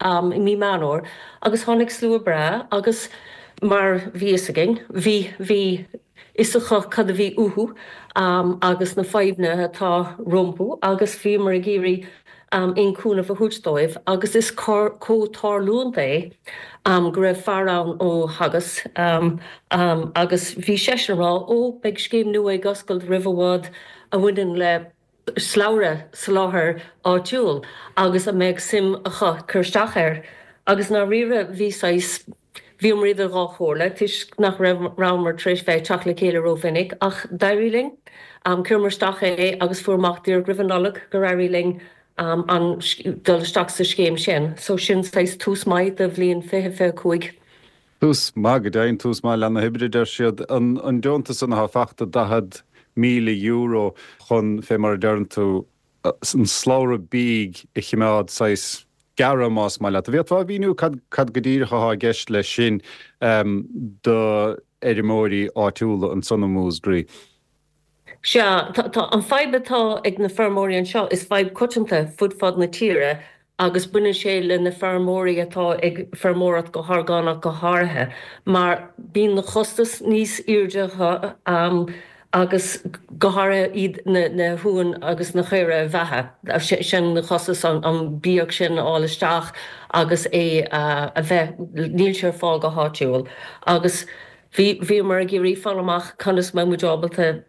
i mí Meán Fhómhair agus tháinig slua breá agus mar bhí fhios againn bhí bhí fhios acu cad a bhí uathu agus na fadhbanna atá rompu agus bhíomar ag iarraidh aon cúnamh a thabhairt dóibh agus is comhtharlúint é go raibh fear ann ó Theagasc agus bhí seisean ag rá ó beidh scéim nua ag oscailt roimh i bhfad a bhaineann le slabhra soláthair áitiúil agus an mbeadh suim acu cur isteach air agus i ndáiríre bhí saghas Bhíomar idir dhá chomhairle toisc nach rabhamar tar éis bheith ag teacht le chéile rómhinic ach d'éirigh linn. Chuireamar isteach é agus fuair amach díreach roimh an Nollaig gur éirigh linn an dul isteach sa scéim sin. So sin saghas tús maith do bhliain fiche fiche cúig.
Tús maith go deimhin, tús maith le na hoibre, deir siad. An deontas san atá fachta daichead míle euro chun, fé mar a deireann tú, an slabhra bídh a chimeád saghas gearra más maith leat. An bhféadfá a mhíniú cad cad go díreach atá i gceist leis sin do fheirmeoirí áitiúla ansan i Múscraí?
Sea, tá an fadhb atá ag na feirmeoirí anseo, is fadhb coitianta fud fad na tíre agus baineann sé le na feirmeoirí atá ag feirmeoireacht go horgánach go háirithe, mar bíonn na costais níos airde acu agus go háirithe iad na huain agus na caora a bheatha, sin na costais an bia sin a fháil isteach agus é a bheith, níl sé ar fáil go háitiúil agus bhí, bhíomar ag iarraidh fáil amach conas mbeadh muid ábalta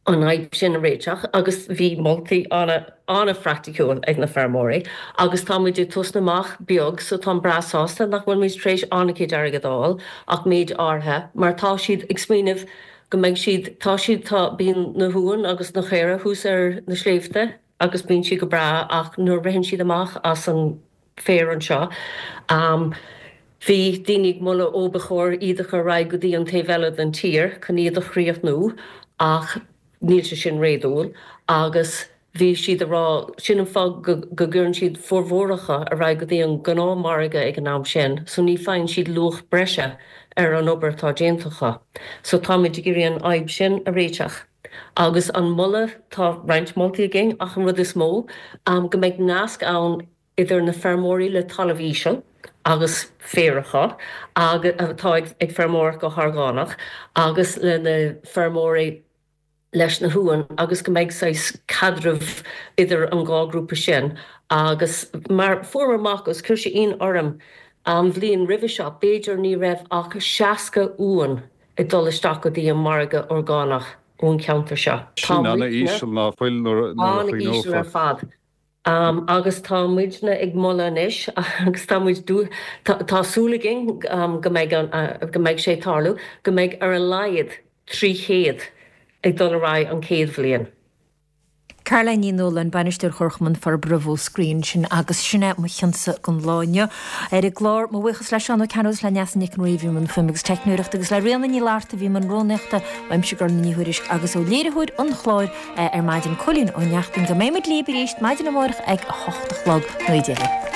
an fhadhb sin a réiteach agus bhí moltaí an-phraiticiúil ag na feirmeoirí agus tá muid ag tosnú amach beag so táim breá sásta nach bhfuil muid tar éis an-chuid airgead a fháil ach méid áirithe mar tá siad ag smaoineamh go mbeidh siad, tá siad, tá, bíonn na huain agus na caora thuas ar na sléibhte agus bíonn siad go breá ach nuair a ritheann siad amach as an féar anseo bhí daoine ag moladh ó ba chóir iad a chur ar aghaidh go dtí an taobh eile den tír chun iad a chríochnú ach níl sé sin réadúil agus bhí siad a rá sin an fáth go gcuireann siad formhór acu ar aghaidh go dtí an gnáthmhargadh ag an am sin so ní faigheann siad luach breise ar an obair atá déanta acu. So táimid ag iarraidh an fhadhb sin a réiteach. Agus an moladh, tá roinnt moltaí againn ach an rud is mó, go mbeidh nasc ann idir na feirmeoirí le talamh íseal agus féaracha atá ag feirmeoireacht go horgánach agus le na feirmeoirí leis na huain agus go mbeidh saghas caidreamh idir an dhá ghrúpa sin agus mar fuaireamar amach agus chuir sé ionadh orm an bhliain roimhe seo b'fhéidir ní raibh ach seasca uan ag dul isteach go dtí an margadh orgánach ón cheantar seo.
Tá Sin an-íseal ná fuil nuair a
An-íseal ar fad. Agus tá muidne ag moladh anois agus tá muid tá súil againn go mbeidh go mbeidh sé ag tarlú go mbeidh ar a laghad trí chéad ag dul ar aghaidh an chéad bhliain.
Caroline Ní Nualláin, Bainisteoir Chomharchumann Forbartha Mhúscraí ansin agus sin é mo chionsa don lá inniu. Ar an gclár, mo bhuíochas le Seán Ó Cearúil agus le Neasa Nic an Rí a bhí i mbun fuaime agus teicneoireachta agus le Ríona Ní Fhlatharta a bhí i mbun rúnaíochta, uaimse Gormfhlaith Ní Thuairisg agus ó léiritheoir an chláir ar maidin, Cóilín Ó Neachtain. Go mbeidh muid libh arís maidin amárach ag a hocht a chlog. Go dtí.